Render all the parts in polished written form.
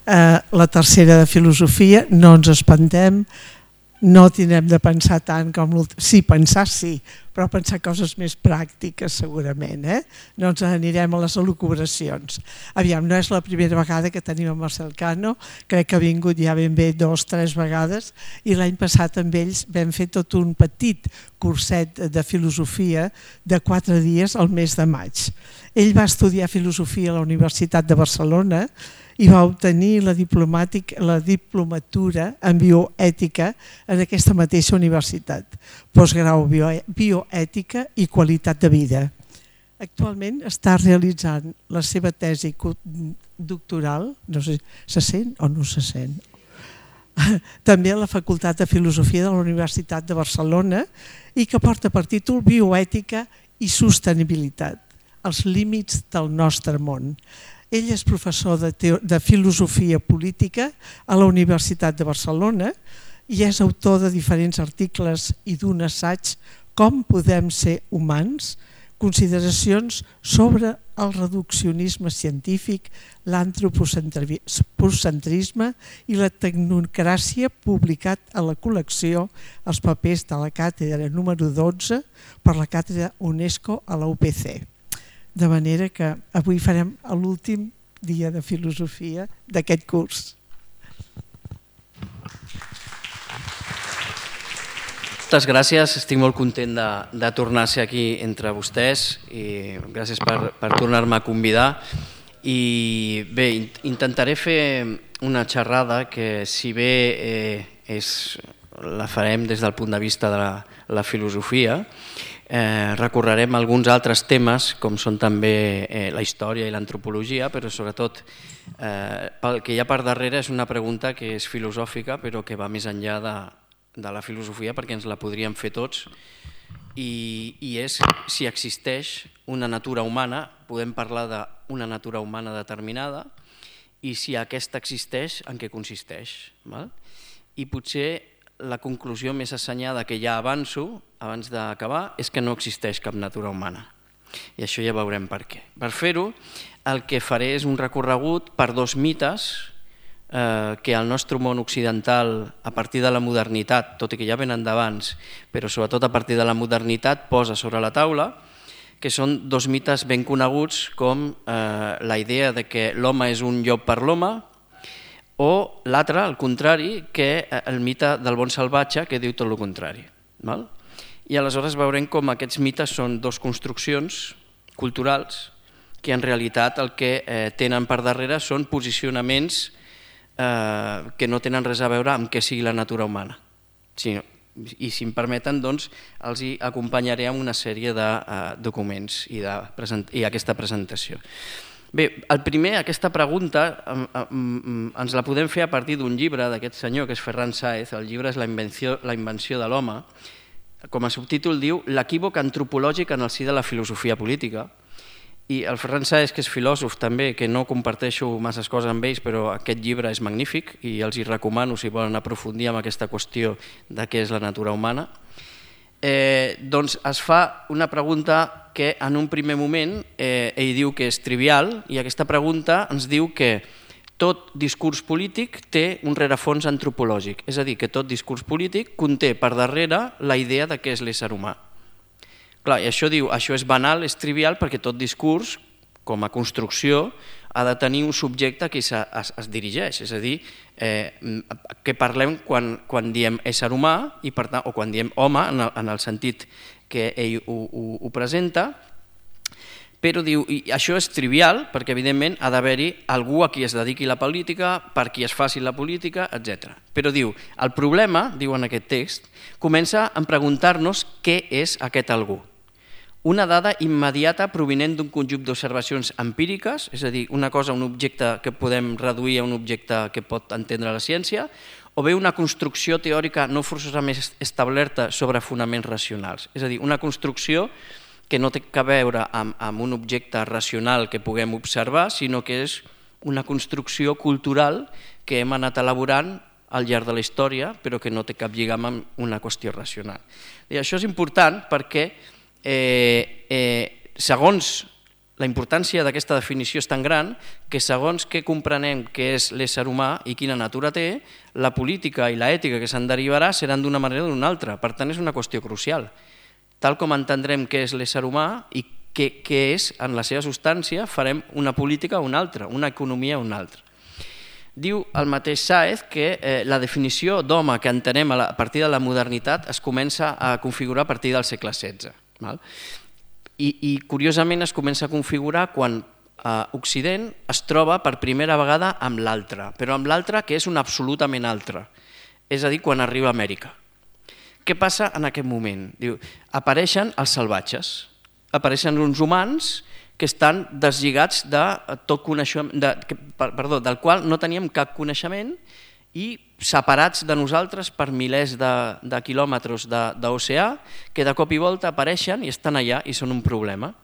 la tercera de filosofia, no ens espantem, no tindrem de pensar tant com l'últim. Sí, pensar sí, però pensar coses més pràctiques segurament. No ens anirem a les elucubracions. Aviam, no és la primera vegada que tenim a Marcel Cano, crec que ha vingut ja ben bé 2 o 3 vegades i l'any passat amb ells vam fer tot un petit curset de filosofia de 4 dies al mes de maig. Ell va estudiar filosofia a la Universitat de Barcelona i va obtenir la diplomatura en bioètica en aquesta mateixa universitat, postgrau bioètica i qualitat de vida. Actualment està realitzant la seva tesi doctoral, no sé, se sent o no se sent? També a la Facultat de Filosofia de la Universitat de Barcelona i que porta per títol Bioètica i Sostenibilitat, els límits del nostre món. Ell és professor de filosofia política a la Universitat de Barcelona i és autor de diferents articles i d'un assaig Com podem ser humans? Consideracions sobre el reduccionisme científic, l'antropocentrisme i la tecnocràcia, publicat a la col·lecció Els papers de la càtedra número 12 per la càtedra UNESCO a la UPC. De manera que avui farem l'últim dia de filosofia d'aquest curs. Moltes gràcies, estic molt content de tornar a ser aquí entre vostès i gràcies per tornar-me a convidar. I bé, intentaré fer una xerrada que si bé la farem des del punt de vista de la filosofia, recorrerem alguns altres temes com són també la història i l'antropologia, però sobretot pel que hi ha per darrere és una pregunta que és filosòfica però que va més enllà de la filosofia perquè ens la podríem fer tots i és si existeix una natura humana, podem parlar d'una natura humana determinada i si aquesta existeix, en què consisteix. I potser la conclusió més assenyada que ja avanço abans d'acabar és que no existeix cap natura humana. I això ja veurem per què. Per fer-ho, el que faré és un recorregut per 2 mites que al nostre món occidental, a partir de la modernitat, tot i que ja venen d'abans, però sobretot a partir de la modernitat, posa sobre la taula, que són 2 mites ben coneguts com la idea de que l'home és un llop per l'home, o l'altre, al contrari, que el mite del bon salvatge, que diu tot el contrari. I aleshores veurem com aquests mites són 2 construccions culturals que en realitat el que tenen per darrere són posicionaments que no tenen res a veure amb què sigui la natura humana. I si em permeten, doncs, els hi acompanyaré amb una sèrie de documents i aquesta presentació. Bé, el primer, aquesta pregunta ens la podem fer a partir d'un llibre d'aquest senyor que és Ferran Sáez. El llibre és La invenció de l'home. Com a subtítol diu L'equívoc antropològic en el si de la filosofia política. I el Ferran Sáez, que és filòsof també, que no comparteixo masses coses amb ells, però aquest llibre és magnífic i els hi recomano si volen aprofundir en aquesta qüestió de què és la natura humana. Doncs es fa una pregunta que en un primer moment ell diu que és trivial i aquesta pregunta ens diu que tot discurs polític té un rerefons antropològic, és a dir, que tot discurs polític conté per darrere la idea de què és l'ésser humà. Clar, i això diu, això és banal, és trivial perquè tot discurs, com a construcció, ha de tenir un subjecte a qui es dirigeix, és a dir, que parlem quan diem ésser humà o quan diem home en el sentit que ell ho presenta, però diu, i això és trivial perquè evidentment ha d'haver-hi algú a qui es dediqui la política, per qui es faci la política, etc. Però diu, el problema, diu en aquest text, comença en preguntar-nos què és aquest algú. Una dada immediata provinent d'un conjunt d'observacions empíriques, és a dir, una cosa, un objecte que podem reduir a un objecte que pot entendre la ciència, o bé una construcció teòrica no forçosament establerta sobre fonaments racionals. És a dir, una construcció que no té a veure amb un objecte racional que puguem observar, sinó que és una construcció cultural que hem anat elaborant al llarg de la història, però que no té cap lligam amb una qüestió racional. I això és important perquè segons La importància d'aquesta definició és tan gran que segons què comprenem què és l'ésser humà i quina natura té, la política i l'ètica que se'n derivarà seran d'una manera o d'una altra. Per tant, és una qüestió crucial. Tal com entendrem què és l'ésser humà i què és en la seva substància, farem una política o una altra, una economia o una altra. Diu el mateix Sáez que la definició d'home que entenem a partir de la modernitat es comença a configurar a partir del segle XVI. I curiosament es comença a configurar quan Occident es troba per primera vegada amb l'altre, però amb l'altre que és un absolutament altre, és a dir, quan arriba a Amèrica. Què passa en aquest moment? Diu, apareixen els salvatges, apareixen uns humans que estan deslligats de tot coneixement, del qual no teníem cap coneixement i separats de nosaltres per milers de quilòmetres d'oceà, que de cop i volta apareixen i estan allà i són un problema.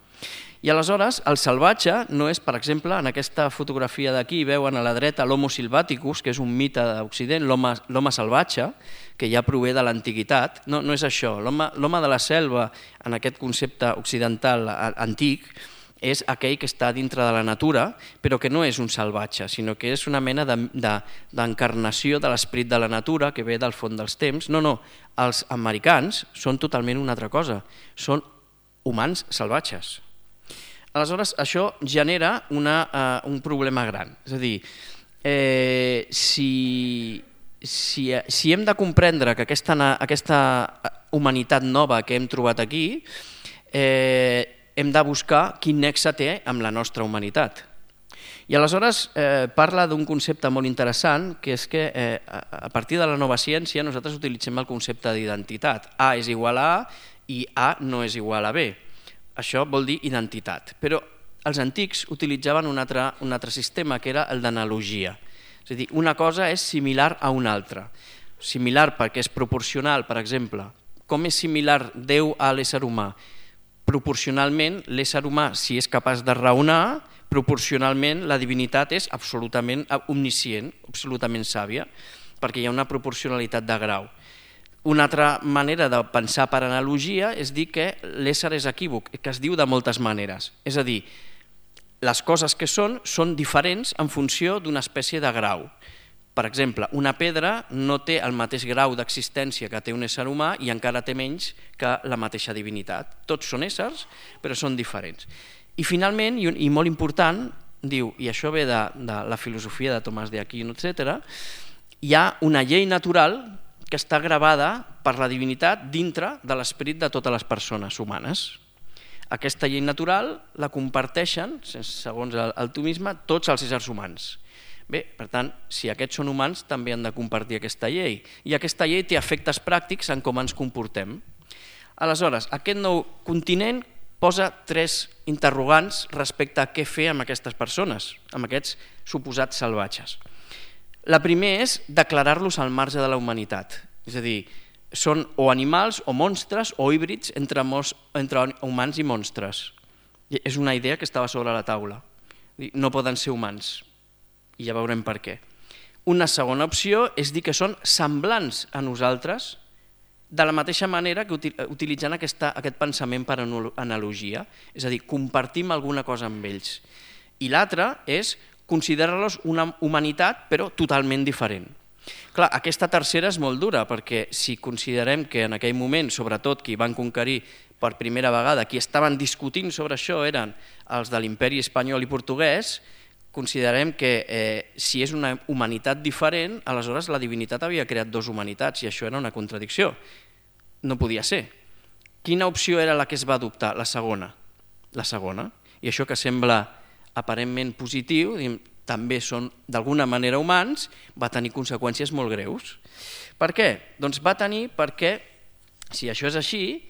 I aleshores el salvatge no és, per exemple, en aquesta fotografia d'aquí veuen a la dreta l'Homo Silvaticus, que és un mite d'Occident, l'home salvatge, que ja prové de l'antiguitat. No és això. L'home de la selva, en aquest concepte occidental antic, és aquell que està dintre de la natura, però que no és un salvatge, sinó que és una mena d'encarnació de l'esperit de la natura que ve del fons dels temps. No, els americans són totalment una altra cosa, són humans salvatges. Aleshores, això genera un problema gran. És a dir, si hem de comprendre que aquesta humanitat nova que hem trobat aquí, hem de buscar quin nexe té amb la nostra humanitat. I aleshores parla d'un concepte molt interessant, que és que a partir de la nova ciència nosaltres utilitzem el concepte d'identitat. A és igual a A i A no és igual a B. Això vol dir identitat. Però els antics utilitzaven un altre sistema, que era el d'analogia. És a dir, una cosa és similar a una altra. Similar perquè és proporcional, per exemple. Com és similar Déu a l'ésser humà? Proporcionalment, l'ésser humà, si és capaç de raonar, proporcionalment la divinitat és absolutament omniscient, absolutament sàvia, perquè hi ha una proporcionalitat de grau. Una altra manera de pensar per analogia és dir que l'ésser és equívoc, que es diu de moltes maneres. És a dir, les coses que són diferents en funció d'una espècie de grau. Per exemple, una pedra no té el mateix grau d'existència que té un ésser humà i encara té menys que la mateixa divinitat. Tots són éssers, però són diferents. I finalment, i molt important, diu, i això ve de la filosofia de Tomàs d'Aquino, etc., hi ha una llei natural que està gravada per la divinitat dintre de l'esperit de totes les persones humanes. Aquesta llei natural la comparteixen, segons el tomisme, tots els éssers humans. Bé, per tant, si aquests són humans, també han de compartir aquesta llei. I aquesta llei té efectes pràctics en com ens comportem. Aleshores, aquest nou continent posa 3 interrogants respecte a què fer amb aquestes persones, amb aquests suposats salvatges. La primera és declarar-los al marge de la humanitat. És a dir, són o animals o monstres o híbrids entre humans i monstres. És una idea que estava sobre la taula. No poden ser humans. I ja veurem per què. Una segona opció és dir que són semblants a nosaltres de la mateixa manera que utilitzant aquest pensament per analogia, és a dir, compartim alguna cosa amb ells. I l'altra és considerar-los una humanitat però totalment diferent. Clar, aquesta tercera és molt dura perquè si considerem que en aquell moment, sobretot qui van conquerir per primera vegada, qui estaven discutint sobre això eren els de l'imperi espanyol i portuguès, considerem que si és una humanitat diferent, aleshores la divinitat havia creat 2 humanitats i això era una contradicció. No podia ser. Quina opció era la que es va adoptar? La segona. La segona. I això que sembla aparentment positiu, també són d'alguna manera humans, va tenir conseqüències molt greus. Per què? Doncs va tenir perquè, si això és així,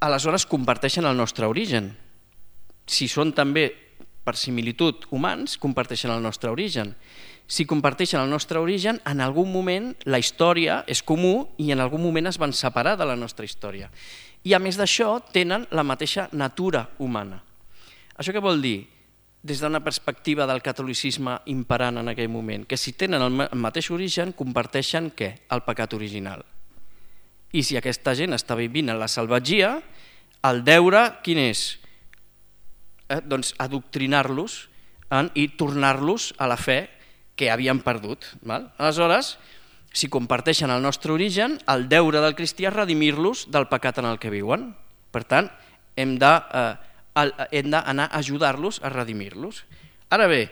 aleshores comparteixen el nostre origen. Si són també per similitud humans, comparteixen el nostre origen. Si comparteixen el nostre origen, en algun moment la història és comú i en algun moment es van separar de la nostra història. I a més d'això tenen la mateixa natura humana. Això què vol dir? Des d'una perspectiva del catolicisme imperant en aquell moment, que si tenen el mateix origen, comparteixen què? El pecat original. I si aquesta gent està vivint en la salvatgia, el deure quin és? adoctrinar-los i tornar-los a la fe que havien perdut. Aleshores, si comparteixen el nostre origen, el deure del cristià és redimir-los del pecat en el que viuen. Per tant, hem d'anar a ajudar-los a redimir-los. Ara bé,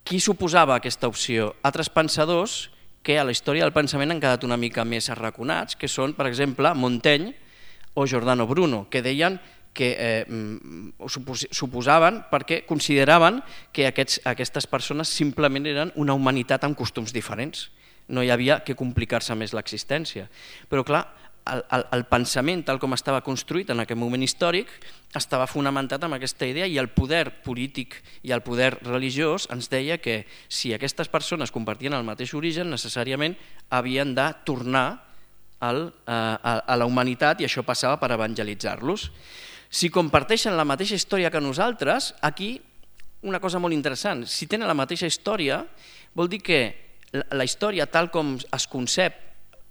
qui s'oposava a aquesta opció? Altres pensadors que a la història del pensament han quedat una mica més arraconats, que són, per exemple, Montaigne o Giordano Bruno, que deien que s'oposaven perquè consideraven que aquestes persones simplement eren una humanitat amb costums diferents. No hi havia que complicar-se més l'existència. Però clar, el pensament tal com estava construït en aquest moment històric estava fonamentat en aquesta idea i el poder polític i el poder religiós ens deia que si aquestes persones compartien el mateix origen necessàriament havien de tornar a la humanitat i això passava per evangelitzar-los. Si comparteixen la mateixa història que nosaltres, aquí una cosa molt interessant, si tenen la mateixa història vol dir que la història tal com es concep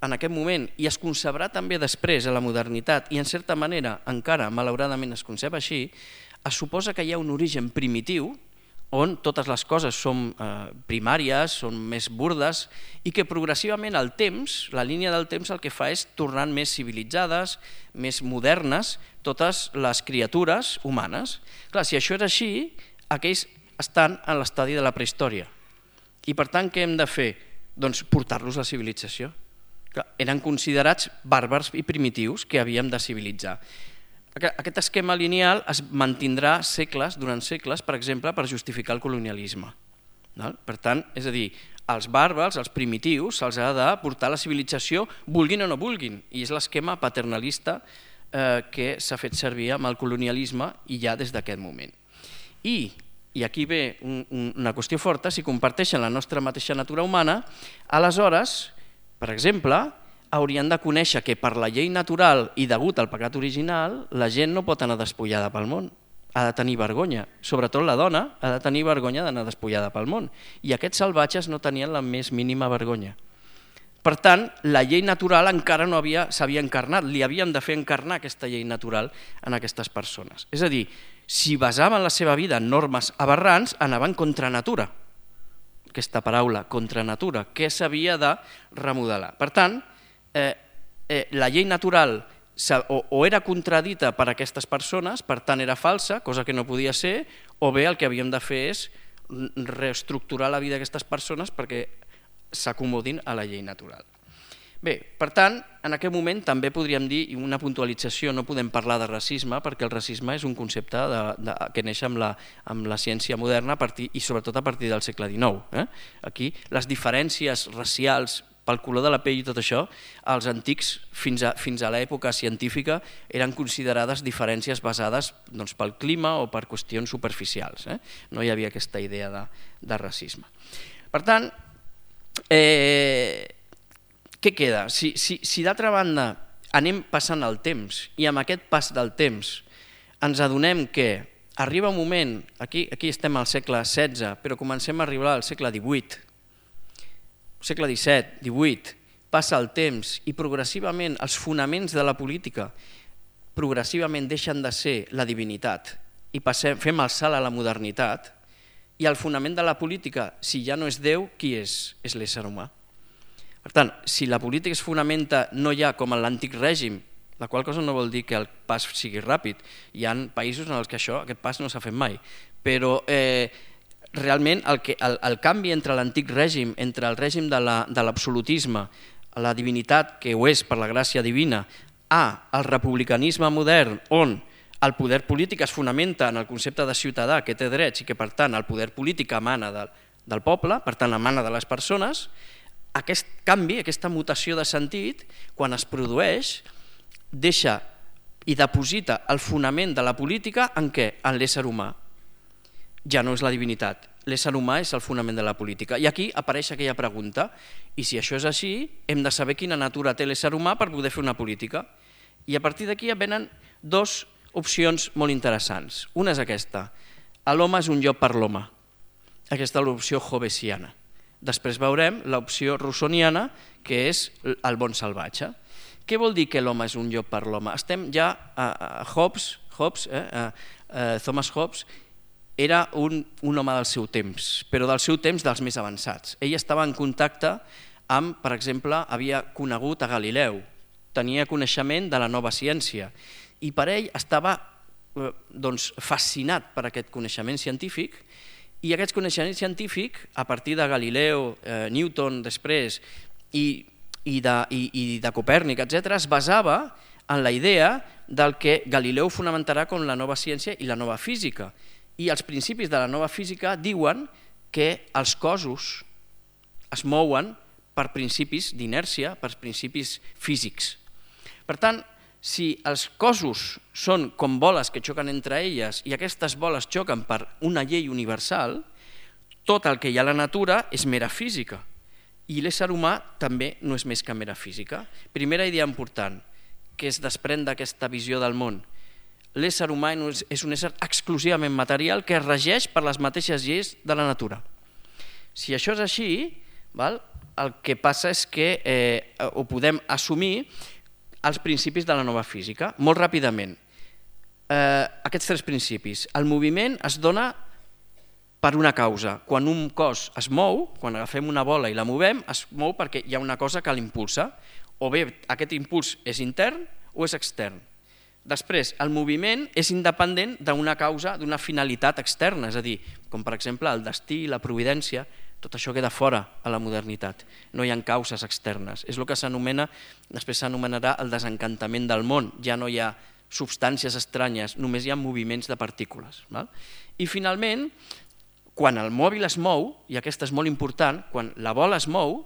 en aquest moment i es concebrà també després a la modernitat i en certa manera encara malauradament es concep així, es suposa que hi ha un origen primitiu on totes les coses són primàries, són més burdes i que progressivament el temps, la línia del temps el que fa és tornar més civilitzades, més modernes, totes les criatures humanes. Clar, si això és així, aquells estan en l'estadi de la prehistòria. I per tant, què hem de fer? Doncs portar-los a la civilització. Eren considerats bàrbars i primitius que havíem de civilitzar. Aquest esquema lineal es mantindrà durant segles, per exemple, per justificar el colonialisme. Per tant, és a dir, als bàrbars, als primitius, se'ls ha de portar a la civilització vulguin o no vulguin, i és l'esquema paternalista que s'ha fet servir amb el colonialisme i ja des d'aquest moment. I aquí ve una qüestió forta, si comparteixen la nostra mateixa natura humana, aleshores, per exemple, haurien de conèixer que per la llei natural i degut al pecat original, la gent no pot anar despullada pel món, ha de tenir vergonya, sobretot la dona ha de tenir vergonya d'anar despullada pel món, i aquests salvatges no tenien la més mínima vergonya. Per tant, la llei natural encara no s'havia encarnat, li havíem de fer encarnar aquesta llei natural en aquestes persones. És a dir, si basaven la seva vida en normes aberrants, anaven contra natura. Aquesta paraula, contra natura, que s'havia de remodelar. Per tant, la llei natural o era contradita per aquestes persones, per tant era falsa, cosa que no podia ser, o bé el que havíem de fer és reestructurar la vida d'aquestes persones perquè s'acomodin a la llei natural. Bé, per tant, en aquest moment també podríem dir una puntualització, no podem parlar de racisme perquè el racisme és un concepte que neix amb la ciència moderna i sobretot a partir del segle XIX. Aquí les diferències racials pel color de la pell i tot això, els antics fins a l'època científica eren considerades diferències basades pel clima o per qüestions superficials. No hi havia aquesta idea de racisme. Per tant, què queda? Si d'altra banda anem passant el temps i amb aquest pas del temps ens adonem que arriba un moment, aquí estem al segle XVI, però comencem a arribar al segle XVIII, segle XVII, XVIII, passa el temps i progressivament els fonaments de la política progressivament deixen de ser la divinitat i fem el salt a la modernitat i el fonament de la política, si ja no és Déu, qui és? És l'ésser humà. Per tant, si la política es fonamenta no ja com en l'antic règim, la qual cosa no vol dir que el pas sigui ràpid, hi ha països en els que aquest pas no s'ha fet mai, però realment el canvi entre l'antic règim, entre el règim de l'absolutisme, la divinitat, que ho és per la gràcia divina, al republicanisme modern, on el poder polític es fonamenta en el concepte de ciutadà que té drets i que per tant el poder polític emana del poble, per tant emana de les persones, aquest canvi, aquesta mutació de sentit, quan es produeix, deixa i deposita el fonament de la política en què? En l'ésser humà. Ja no és la divinitat, l'ésser humà és el fonament de la política. I aquí apareix aquella pregunta, i si això és així, hem de saber quina natura té l'ésser humà per poder fer una política. I a partir d'aquí venen dues opcions molt interessants. Una és aquesta, l'home és un llop per l'home. Aquesta és l'opció hobbesiana. Després veurem l'opció rousseauiana, que és el bon salvatge. Què vol dir que l'home és un llop per l'home? Estem ja a Thomas Hobbes, era un home del seu temps, però del seu temps dels més avançats. Ell estava en contacte amb, per exemple, havia conegut a Galileu, tenia coneixement de la nova ciència i per ell estava fascinat per aquest coneixement científic i aquest coneixement científic, a partir de Galileu, Newton després i de Copèrnic, etc., es basava en la idea del que Galileu fonamentarà com la nova ciència i la nova física. I els principis de la nova física diuen que els cossos es mouen per principis d'inèrcia, per principis físics. Per tant, si els cossos són com boles que xoquen entre elles i aquestes boles xoquen per una llei universal, tot el que hi ha a la natura és mera física i l'ésser humà també no és més que mera física. Primera idea important que es desprèn d'aquesta visió del món. L'ésser humà és un ésser exclusivament material que es regeix per les mateixes lleis de la natura. Si això és així, el que passa és que ho podem assumir els principis de la nova física. Molt ràpidament, aquests tres principis. El moviment es dona per una causa. Quan un cos es mou, quan agafem una bola i la movem, es mou perquè hi ha una cosa que l'impulsa. O bé aquest impuls és intern o és extern. Després, el moviment és independent d'una causa, d'una finalitat externa, és a dir, com per exemple el destí, la providència, tot això queda fora a la modernitat. No hi ha causes externes. És el que s'anomena, després s'anomenarà el desencantament del món. Ja no hi ha substàncies estranyes, només hi ha moviments de partícules. I finalment, quan el mòbil es mou, i aquesta és molt important, quan la bola es mou,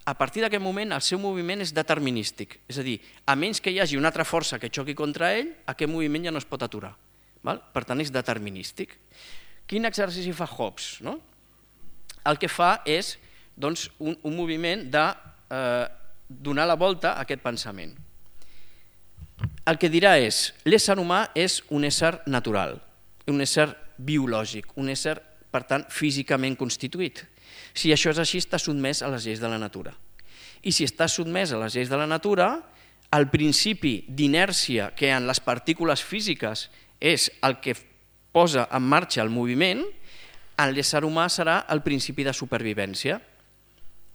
a partir d'aquest moment el seu moviment és determinístic. És a dir, a menys que hi hagi una altra força que xoqui contra ell, aquest moviment ja no es pot aturar. Per tant, és determinístic. Quin exercici fa Hobbes? El que fa és un moviment de donar la volta a aquest pensament. El que dirà és, l'ésser humà és un ésser natural, un ésser biològic, un ésser, per tant, físicament constituït. Si això és així, està sotmès a les lleis de la natura. I si està sotmès a les lleis de la natura, el principi d'inèrcia que en les partícules físiques és el que posa en marxa el moviment, en l'ésser humà serà el principi de supervivència.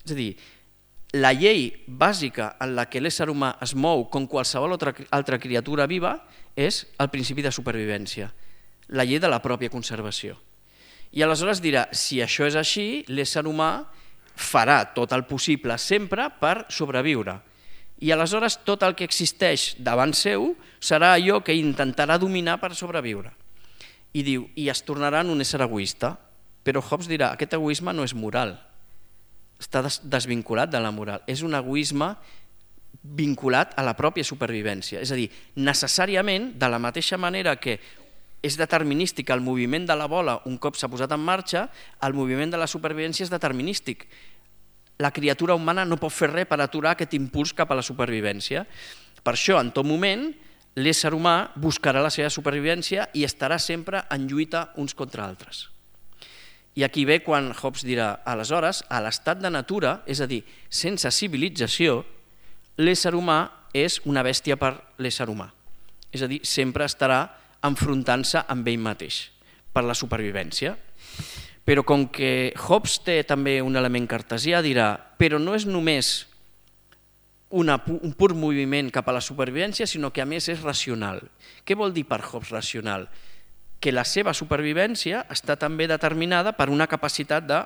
És a dir, la llei bàsica en la que l'ésser humà es mou com qualsevol altra criatura viva és el principi de supervivència, la llei de la pròpia conservació. I aleshores dirà, si això és així, l'ésser humà farà tot el possible sempre per sobreviure. I aleshores tot el que existeix davant seu serà allò que intentarà dominar per sobreviure. I diu, i es tornarà en un ésser egoista. Però Hobbes dirà, aquest egoisme no és moral, està desvinculat de la moral, és un egoisme vinculat a la pròpia supervivència. És a dir, necessàriament, de la mateixa manera que és determinístic el moviment de la bola un cop s'ha posat en marxa, el moviment de la supervivència és determinístic. La criatura humana no pot fer res per aturar aquest impuls cap a la supervivència. Per això, en tot moment, l'ésser humà buscarà la seva supervivència i estarà sempre en lluita uns contra altres. I aquí ve quan Hobbes dirà, aleshores, a l'estat de natura, és a dir, sense civilització, l'ésser humà és una bèstia per l'ésser humà. És a dir, sempre estarà enfrontant-se amb ell mateix per la supervivència. Però com que Hobbes té també un element cartesià, dirà, però no és només un pur moviment cap a la supervivència, sinó que a més és racional. Què vol dir per Hobbes racional? Que la seva supervivència està també determinada per una capacitat de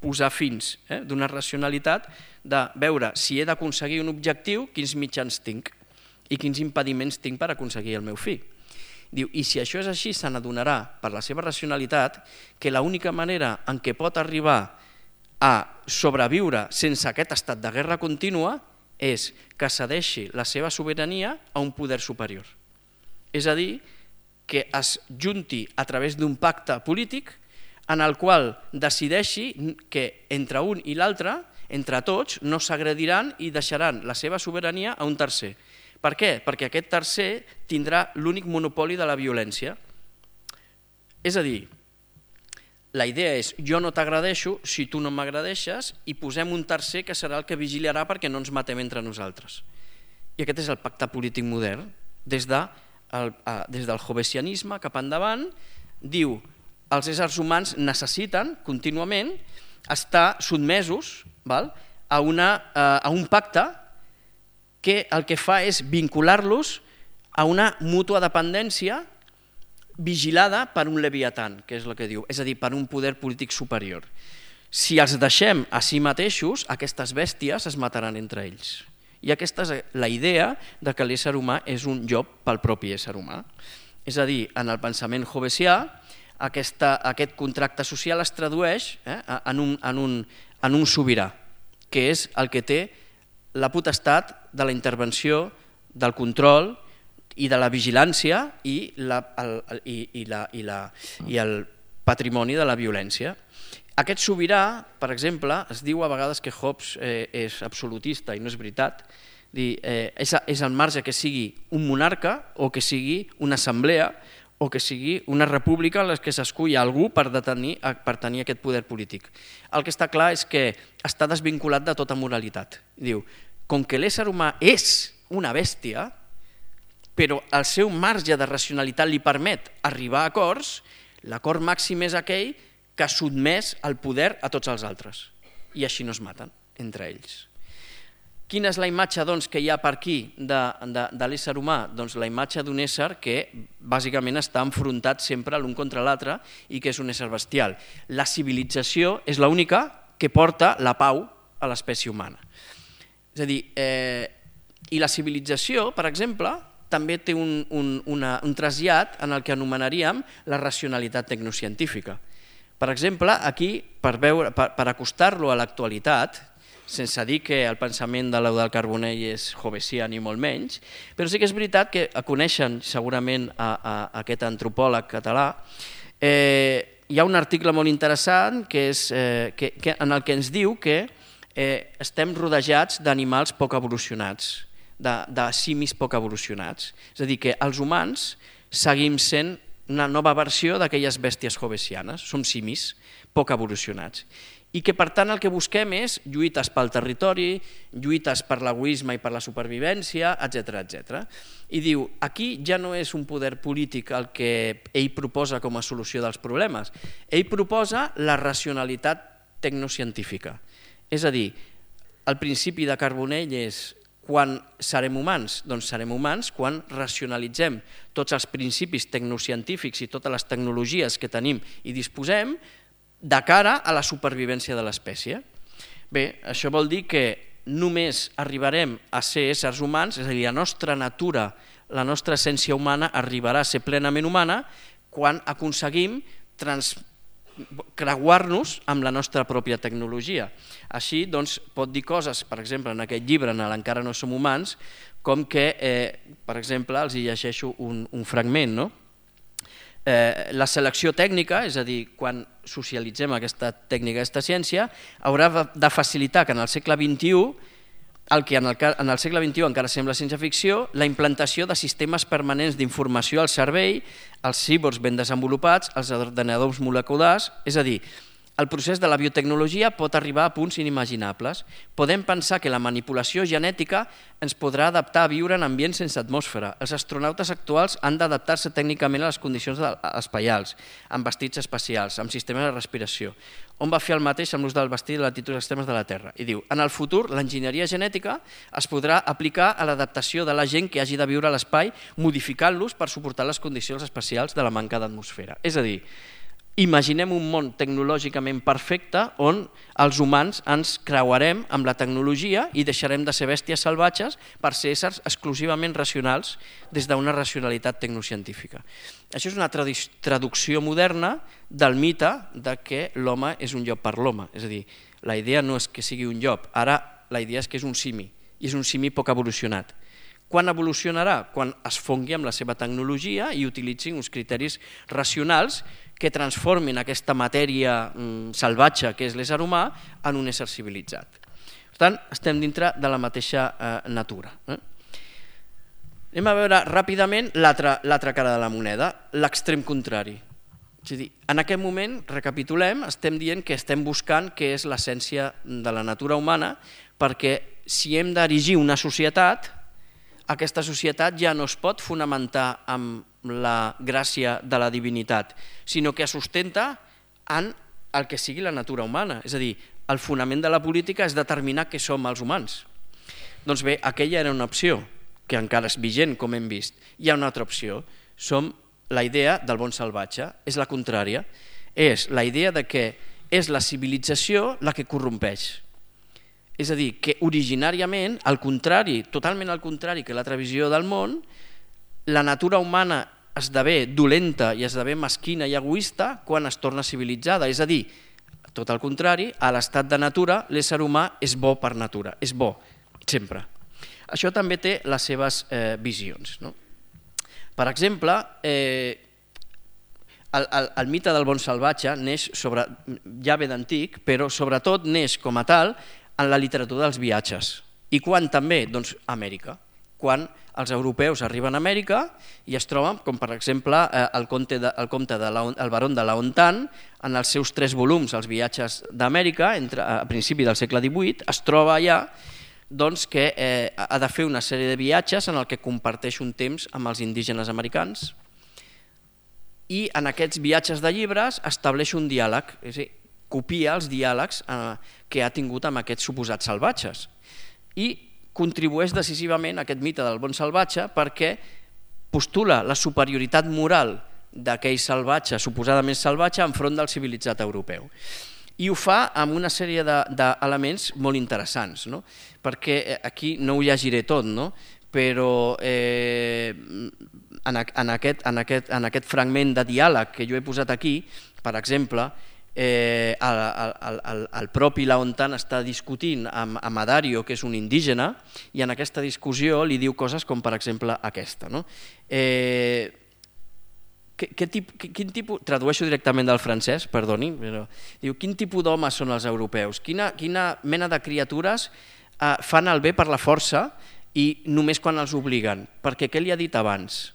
posar fins, d'una racionalitat, de veure si he d'aconseguir un objectiu, quins mitjans tinc i quins impediments tinc per aconseguir el meu fi. Diu, i si això és així, se n'adonarà per la seva racionalitat que l'única manera en què pot arribar a sobreviure sense aquest estat de guerra contínua és que cedeixi la seva sobirania a un poder superior. És a dir, que es junti a través d'un pacte polític en el qual decideixi que entre un i l'altre, entre tots, no s'agrediran i deixaran la seva sobirania a un tercer. Per què? Perquè aquest tercer tindrà l'únic monopoli de la violència. És a dir, la idea és jo no t'agradeixo si tu no m'agradeixes i posem un tercer que serà el que vigilarà perquè no ens matem entre nosaltres. I aquest és el pacte polític modern. Des del hobbesianisme cap endavant diu els éssers humans necessiten contínuament estar sotmesos a un pacte que el que fa és vincular-los a una mútua dependència vigilada per un leviatan, que és el que diu, és a dir, per un poder polític superior. Si els deixem a si mateixos, aquestes bèsties es mataran entre ells. I aquesta és la idea de que l'ésser humà és un llop pel propi ésser humà. És a dir, en el pensament hobbesià, aquest contracte social es tradueix en un sobirà, que és el que té la potestat de la intervenció, del control i de la vigilància i el patrimoni de la violència. Aquest sobirà, per exemple, es diu a vegades que Hobbes és absolutista i no és veritat. És al marge que sigui un monarca o que sigui una assemblea o que sigui una república en què s'escull algú per tenir aquest poder polític. El que està clar és que està desvinculat de tota moralitat. Diu, com que l'ésser humà és una bèstia, però el seu marge de racionalitat li permet arribar a acords, l'acord màxim és aquell que sotmès el poder a tots els altres. I així no es maten entre ells. Quina és la imatge que hi ha per aquí de l'ésser humà? Doncs la imatge d'un ésser que bàsicament està enfrontat sempre l'un contra l'altre i que és un ésser bestial. La civilització és l'única que porta la pau a l'espècie humana. És a dir, i la civilització, per exemple, també té un trasllat en el que anomenaríem la racionalitat tecnocientífica. Per exemple, aquí, per acostar-lo a l'actualitat, sense dir que el pensament de l'Eudald Carbonell és hobbesià ni molt menys, però sí que és veritat que coneixen segurament aquest antropòleg català. Hi ha un article molt interessant en el que ens diu que estem rodejats d'animals poc evolucionats, de simis poc evolucionats. És a dir, que els humans seguim sent una nova versió d'aquelles bèsties hobbesianes, som simis poc evolucionats. I que per tant el que busquem és lluites pel territori, lluites per l'egoisme i per la supervivència, etc. I diu, aquí ja no és un poder polític el que ell proposa com a solució dels problemes, ell proposa la racionalitat tecnocientífica. És a dir, el principi de Carbonell és quan serem humans? Doncs serem humans quan racionalitzem tots els principis tecnocientífics i totes les tecnologies que tenim i disposem de cara a la supervivència de l'espècie. Bé, això vol dir que només arribarem a ser éssers humans, és a dir, la nostra natura, la nostra essència humana arribarà a ser plenament humana quan aconseguim creuar-nos amb la nostra pròpia tecnologia. Així, doncs, pot dir coses, per exemple, en aquest llibre, en l'Encara no som humans, com que, per exemple, els hi llegeixo un fragment, no? La selecció tècnica, és a dir, quan socialitzem aquesta tècnica, aquesta ciència, haurà de facilitar que en el segle XXI, el que en el segle XXI encara sembla ciència-ficció, la implantació de sistemes permanents d'informació al cervell, els cíborgs ben desenvolupats, els ordenadors moleculars, és a dir, el procés de la biotecnologia pot arribar a punts inimaginables. Podem pensar que la manipulació genètica ens podrà adaptar a viure en ambients sense atmosfera. Els astronautes actuals han d'adaptar-se tècnicament a les condicions espaials, amb vestits espacials, amb sistemes de respiració. On va fer el mateix amb l'ús del vestit i les latituds extremes de la Terra. I diu, en el futur, l'enginyeria genètica es podrà aplicar a l'adaptació de la gent que hagi de viure a l'espai, modificant-los per suportar les condicions espacials de la manca d'atmosfera. És a dir, imaginem un món tecnològicament perfecte on els humans ens creuarem amb la tecnologia i deixarem de ser bèsties salvatges per ser éssers exclusivament racionals des d'una racionalitat tecnocientífica. Això és una traducció moderna del mite de que l'home és un llop per l'home. És a dir, la idea no és que sigui un llop, ara la idea és que és un simi, i és un simi poc evolucionat. Quan evolucionarà? Quan es fongui amb la seva tecnologia i utilitzin uns criteris racionals que transformin aquesta matèria salvatge que és l'ésser humà en un ésser civilitzat. Per tant, estem dintre de la mateixa natura. Anem a veure ràpidament l'altra cara de la moneda, l'extrem contrari. És a dir, en aquest moment, recapitulem, estem dient que estem buscant què és l'essència de la natura humana, perquè si hem d'erigir una societat, aquesta societat ja no es pot fonamentar amb la gràcia de la divinitat, sinó que es sustenta en el que sigui la natura humana. És a dir, el fonament de la política és determinar què som els humans. Doncs bé, aquella era una opció, que encara és vigent, com hem vist. Hi ha una altra opció, som la idea del bon salvatge, és la contrària, és la idea de que és la civilització la que corrompeix. És a dir, que originàriament, al contrari, totalment al contrari que l'altra visió del món, la natura humana esdevé dolenta i esdevé mesquina i egoista quan es torna civilitzada. És a dir, tot el contrari, a l'estat de natura l'ésser humà és bo per natura, és bo, sempre. Això també té les seves visions. Per exemple, el mite del bon salvatge neix ja ve d'antic, però sobretot neix com a tal en la literatura dels viatges. I quan també? Doncs a Amèrica. Quan els europeus arriben a Amèrica i es troben, com per exemple el comte el baró de Laontan, en els seus 3 volums, els viatges d'Amèrica, a principi del segle XVIII, es troba allà que ha de fer una sèrie de viatges en el que comparteix un temps amb els indígenes americans i en aquests viatges de llibres estableix un diàleg, és a dir, copia els diàlegs que ha tingut amb aquests suposats salvatges i contribueix decisivament a aquest mite del bon salvatge perquè postula la superioritat moral d'aquell salvatge, suposadament salvatge, enfront del civilitzat europeu. I ho fa amb una sèrie d'elements molt interessants, perquè aquí no ho llegiré tot, però en aquest fragment de diàleg que jo he posat aquí, per exemple, el propi Laontan està discutint amb Adario, que és un indígena, i en aquesta discussió li diu coses com per exemple aquesta. Tradueixo directament del francès, perdoni, però diu: quin tipus d'homes són els europeus? Quina mena de criatures fan el bé per la força i només quan els obliguen? Perquè què li ha dit abans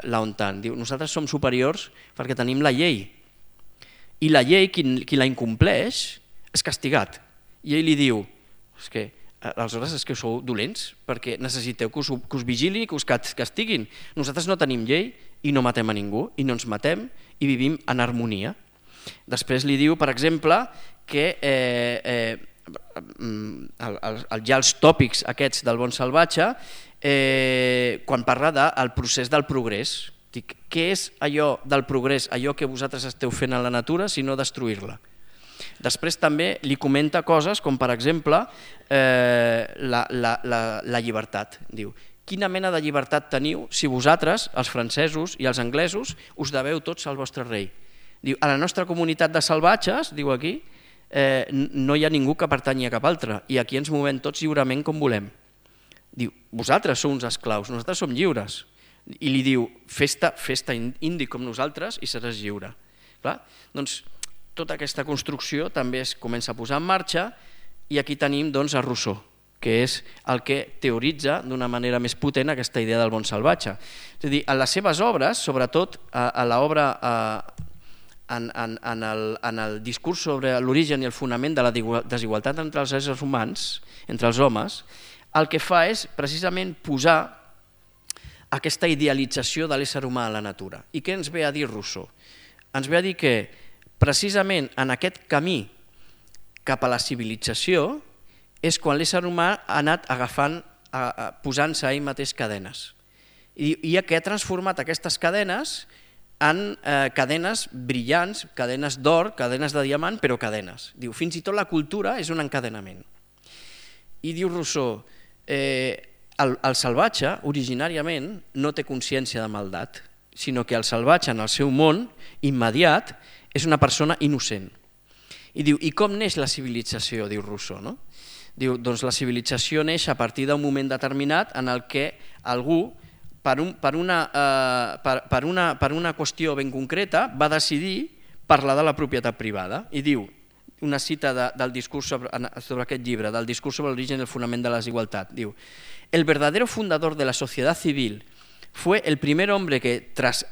Laontan? Diu: nosaltres som superiors perquè tenim la llei. I la llei, qui la incompleix, és castigat. I ell li diu: aleshores és que sou dolents, perquè necessiteu que us vigili i que us castiguin. Nosaltres no tenim llei i no matem a ningú, i no ens matem, i vivim en harmonia. Després li diu, per exemple, que ja els tòpics aquests del bon salvatge, quan parla del procés del progrés, dic, què és allò del progrés, allò que vosaltres esteu fent a la natura, si no destruir-la? Després també li comenta coses com, per exemple, la llibertat. Diu: quina mena de llibertat teniu si vosaltres, els francesos i els anglesos, us deveu tots al vostre rei? Diu: a la nostra comunitat de salvatges, diu aquí, no hi ha ningú que pertanyi a cap altre, i aquí ens movem tots lliurement com volem. Diu: vosaltres sou uns esclaus, nosaltres som lliures. I li diu: fes-te indi com nosaltres i seràs lliure. Doncs tota aquesta construcció també es comença a posar en marxa i aquí tenim a Rousseau, que és el que teoritza d'una manera més potent aquesta idea del bon salvatge. És a dir, en les seves obres, sobretot a l'obra en el discurs sobre l'origen i el fonament de la desigualtat entre els éssers humans, entre els homes, el que fa és precisament posar aquesta idealització de l'ésser humà a la natura. I què ens ve a dir Rousseau? Ens ve a dir que precisament en aquest camí cap a la civilització és quan l'ésser humà ha anat posant-se a ell mateix cadenes. I que ha transformat aquestes cadenes en cadenes brillants, cadenes d'or, cadenes de diamant, però cadenes. Diu, fins i tot la cultura és un encadenament. I diu Rousseau, el salvatge originàriament no té consciència de maldat, sinó que el salvatge en el seu món immediat és una persona innocent. I diu, i com neix la civilització, diu Rousseau, Diu, doncs la civilització neix a partir d'un moment determinat en el que algú, per una qüestió ben concreta, va decidir parlar de la propietat privada. I diu, una cita del discurs sobre aquest llibre, del discurs sobre l'origen i el fonament de la desigualtat, diu: el verdadero fundador de la sociedad civil fue el primer hombre que, tras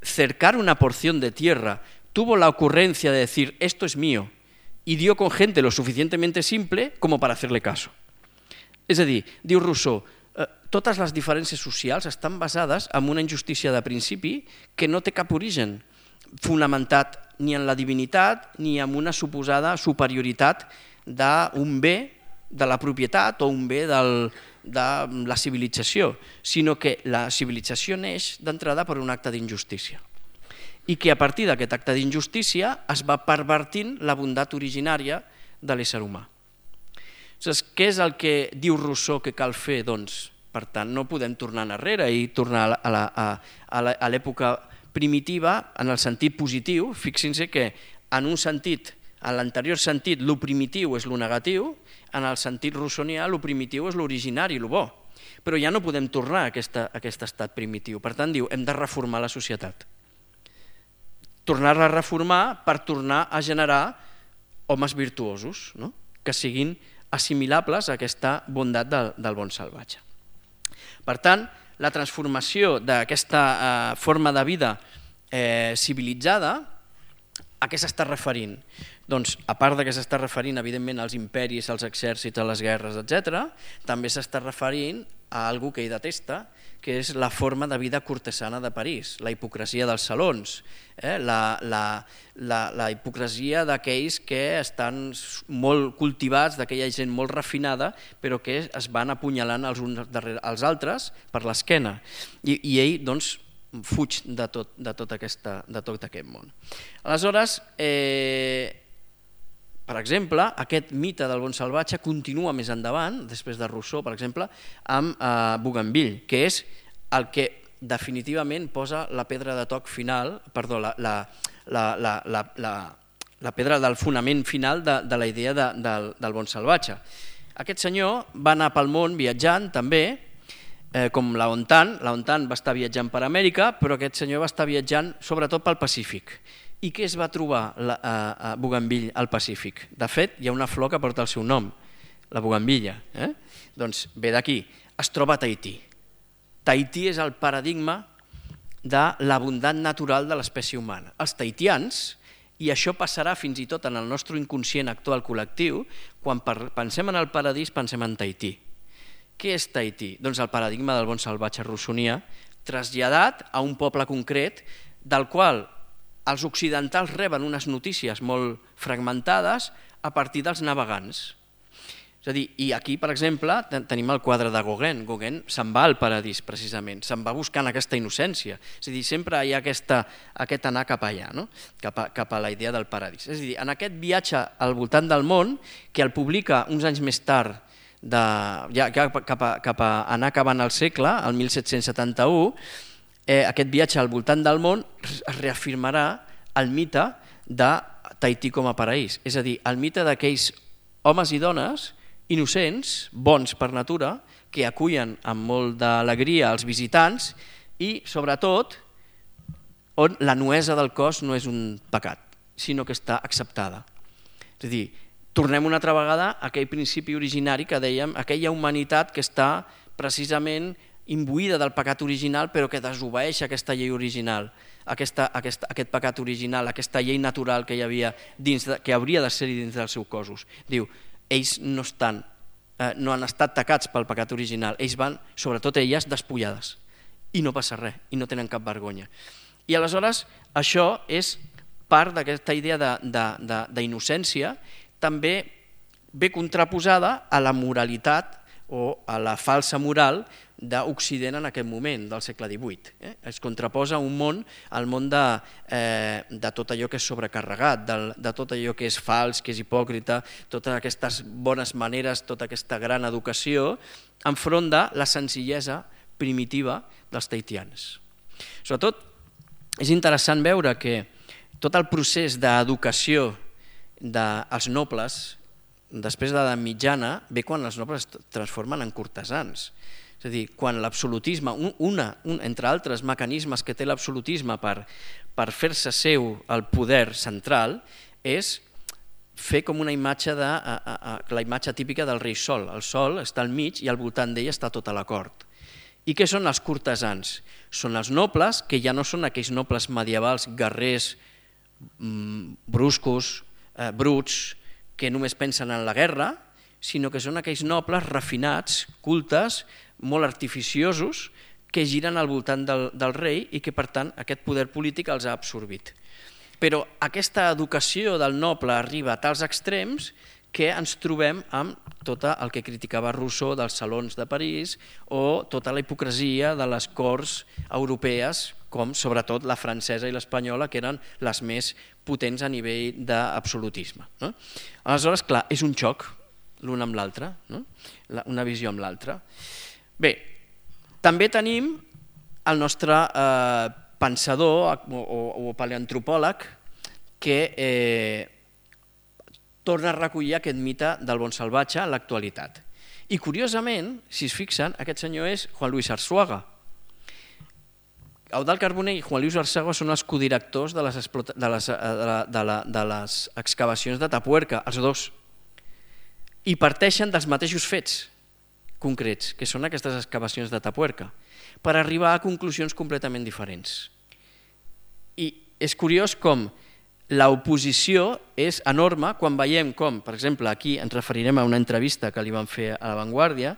cercar una porción de tierra, tuvo la ocurrencia de decir, esto es mío, y dio con gente lo suficientemente simple como para hacerle caso. És a dir, diu Rousseau, totes les diferències socials estan basades en una injustícia de principi que no té cap origen fonamentat ni en la divinitat ni en una suposada superioritat d'un bé de la propietat o un bé de la civilització, sinó que la civilització neix d'entrada per un acte d'injustícia i que a partir d'aquest acte d'injustícia es va pervertint la bondat originària de l'ésser humà. Què és el que diu Rousseau que cal fer? Doncs, per tant, no podem tornar enrere i tornar a l'època primitiva en el sentit positiu. Fixin-se que en un sentit, en l'anterior sentit, lo primitiu és lo negatiu, en el sentit rousseauià lo primitiu és l'originari, lo bo. Però ja no podem tornar a aquest estat primitiu. Per tant, diu, hem de reformar la societat. Tornar-la a reformar per tornar a generar homes virtuosos, que siguin assimilables a aquesta bondat del bon salvatge. Per tant, la transformació d'aquesta forma de vida civilitzada, a què s'està referint? Doncs, a part que s'està referint, evidentment, als imperis, als exèrcits, a les guerres, etc., també s'està referint a algú que ell detesta, que és la forma de vida cortesana de París, la hipocresia dels salons, la hipocresia d'aquells que estan molt cultivats, d'aquella gent molt refinada, però que es van apunyalant els uns darrere els altres per l'esquena. I ell, doncs, fuig de tot aquest món. Aleshores, per exemple, aquest mite del bon salvatge continua més endavant, després de Rousseau, per exemple, amb Bougainville, que és el que definitivament posa la pedra de toc final, perdó, la pedra del fonament final de la idea del bon salvatge. Aquest senyor va anar pel món viatjant també, com Laontan va estar viatjant per Amèrica, però aquest senyor va estar viatjant sobretot pel Pacífic. I què es va trobar a Bougainville al Pacífic? De fet, hi ha una flor que porta el seu nom, la bougainvilla. Doncs ve d'aquí, es troba a Tahití. Tahití és el paradigma de la bondat natural de l'espècie humana. Els tahitians, i això passarà fins i tot en el nostre inconscient actual col·lectiu, quan pensem en el paradís pensem en Tahití. Què és Tahití? Doncs el paradigma del bon salvatge rousseauià traslladat a un poble concret del qual els occidentals reben unes notícies molt fragmentades a partir dels navegants. És a dir, i aquí, per exemple, tenim el quadre de Gauguin. Gauguin se'n va al paradís, precisament, se'n va buscant aquesta innocència. És a dir, sempre hi ha aquest anar cap allà, cap a la idea del paradís. És a dir, en aquest viatge al voltant del món, que el publica uns anys més tard, cap a anar acabant el segle, el 1771, aquest viatge al voltant del món es reafirmarà el mite de Tahití com a paraís, és a dir, el mite d'aquells homes i dones innocents, bons per natura, que acullen amb molt d'alegria els visitants i, sobretot, on la nuesa del cos no és un pecat, sinó que està acceptada. És a dir, tornem una altra vegada a aquell principi originari que dèiem, aquella humanitat que està precisament imbuïda del pecat original però que desobeeix aquesta llei original, aquest pecat original, aquesta llei natural que hi havia dins, que hauria de ser dins dels seus cossos. Diu, ells no han estat tacats pel pecat original, ells van, sobretot elles, despullades i no passa res, i no tenen cap vergonya. I aleshores això és part d'aquesta idea d'innocència, també ve contraposada a la moralitat o a la falsa moral d'Occident en aquest moment, del segle XVIII. Es contraposa un món, el món de tot allò que és sobrecarregat, de tot allò que és fals, que és hipòcrita, totes aquestes bones maneres, tota aquesta gran educació, enfront de la senzillesa primitiva dels tahitians. Sobretot, és interessant veure que tot el procés d'educació dels nobles, després de l'edat mitjana, ve quan els nobles es transformen en cortesans. És a dir, quan l'absolutisme, entre altres mecanismes que té l'absolutisme per fer-se seu el poder central, és fer com una imatge, la imatge típica del rei Sol. El Sol està al mig i al voltant d'ell està tota la cort. I què són els cortesans? Són els nobles, que ja no són aquells nobles medievals, guerrers, bruscos, bruts, que només pensen en la guerra, sinó que són aquells nobles refinats, cultes, molt artificiosos, que giren al voltant del rei i que, per tant, aquest poder polític els ha absorbit. Però aquesta educació del noble arriba a tals extrems que ens trobem amb tot el que criticava Rousseau dels salons de París o tota la hipocresia de les corts europees, com sobretot la francesa i l'espanyola, que eren les més potents a nivell d'absolutisme. Aleshores, clar, és un xoc l'un amb l'altre, una visió amb l'altra. Bé, també tenim el nostre pensador o paleantropòleg que torna a recollir aquest mite del bon salvatge en l'actualitat. I curiosament, si es fixen, aquest senyor és Juan Luis Arzuaga. Eudald Carbonell i Juan Luis Arzuaga són els codirectors de les excavacions de Tapuerca, els dos, i parteixen dels mateixos fets concrets, que són aquestes excavacions de Tapuerca, per arribar a conclusions completament diferents. I és curiós com l'oposició és enorme quan veiem com, per exemple, aquí ens referirem a una entrevista que li van fer a La Vanguardia,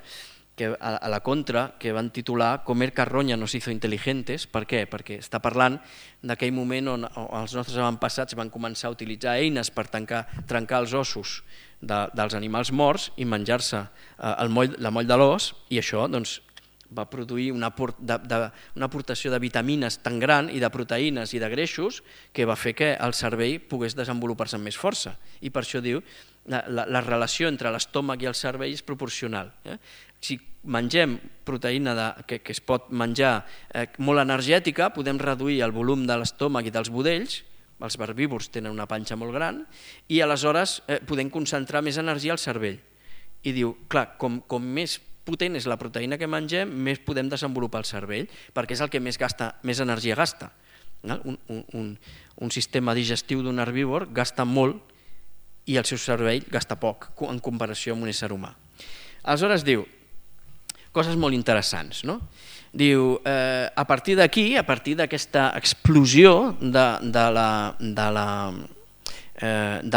a la Contra, que van titular «Comer carronya nos hizo inteligentes». Per què? Perquè està parlant d'aquell moment on els nostres avantpassats van començar a utilitzar eines per trencar els ossos dels animals morts i menjar-se la moll de l'os, i això va produir una aportació de vitamines tan gran i de proteïnes i de greixos que va fer que el cervell pogués desenvolupar-se amb més força. I per això diu la relació entre l'estómac i el cervell és proporcional. Si mengem proteïna que es pot menjar molt energètica, podem reduir el volum de l'estómac i dels budells, els herbívors tenen una panxa molt gran, i aleshores podem concentrar més energia al cervell. I diu, clar, com més potent és la proteïna que mengem, més podem desenvolupar el cervell, perquè és el que més energia gasta. Un sistema digestiu d'un herbívor gasta molt i el seu cervell gasta poc en comparació amb un ésser humà. Aleshores diu, coses molt interessants, no? Diu, a partir d'aquí, a partir d'aquesta explosió de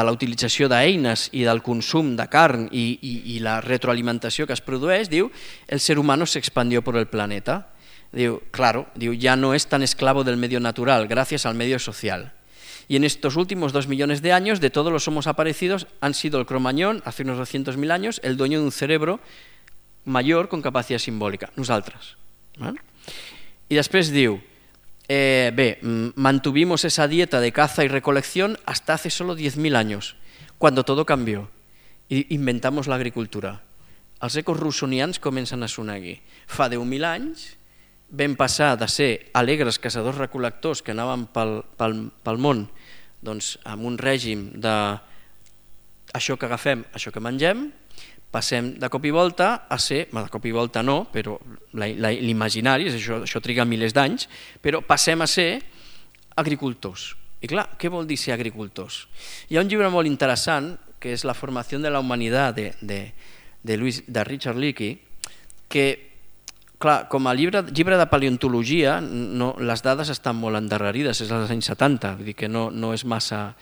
la utilització d'eines i del consum de carn y la retroalimentació que es produeix, diu, el ser humano se expandió por el planeta. Diu, claro, ya no es tan esclavo del medio natural, gracias al medio social. Y en estos últimos 2 millones de años, de todos los homos aparecidos, han sido el Cromañón, hace unos 200.000 años, el dueño de un cerebro mayor con capacidad simbólica, nosaltres. Y després diu, mantuvimos esa dieta de caza y recolección hasta hace solo 10.000 años, cuando todo cambió y inventamos la agricultura. Els ecos russonians comencen a sonar aquí. Fa 10.000 anys vam passar de ser alegres caçadors-recol·lectors que anaven pel món amb un règim de això que agafem, això que mengem, passem de cop i volta a ser, de cop i volta no, però l'imaginari, això triga milers d'anys, però passem a ser agricultors. I clar, què vol dir ser agricultors? Hi ha un llibre molt interessant, que és La formació de la humanitat de Richard Leakey, que, clar, com a llibre de paleontologia, les dades estan molt endarrerides, és als anys 70, vull dir que no és massa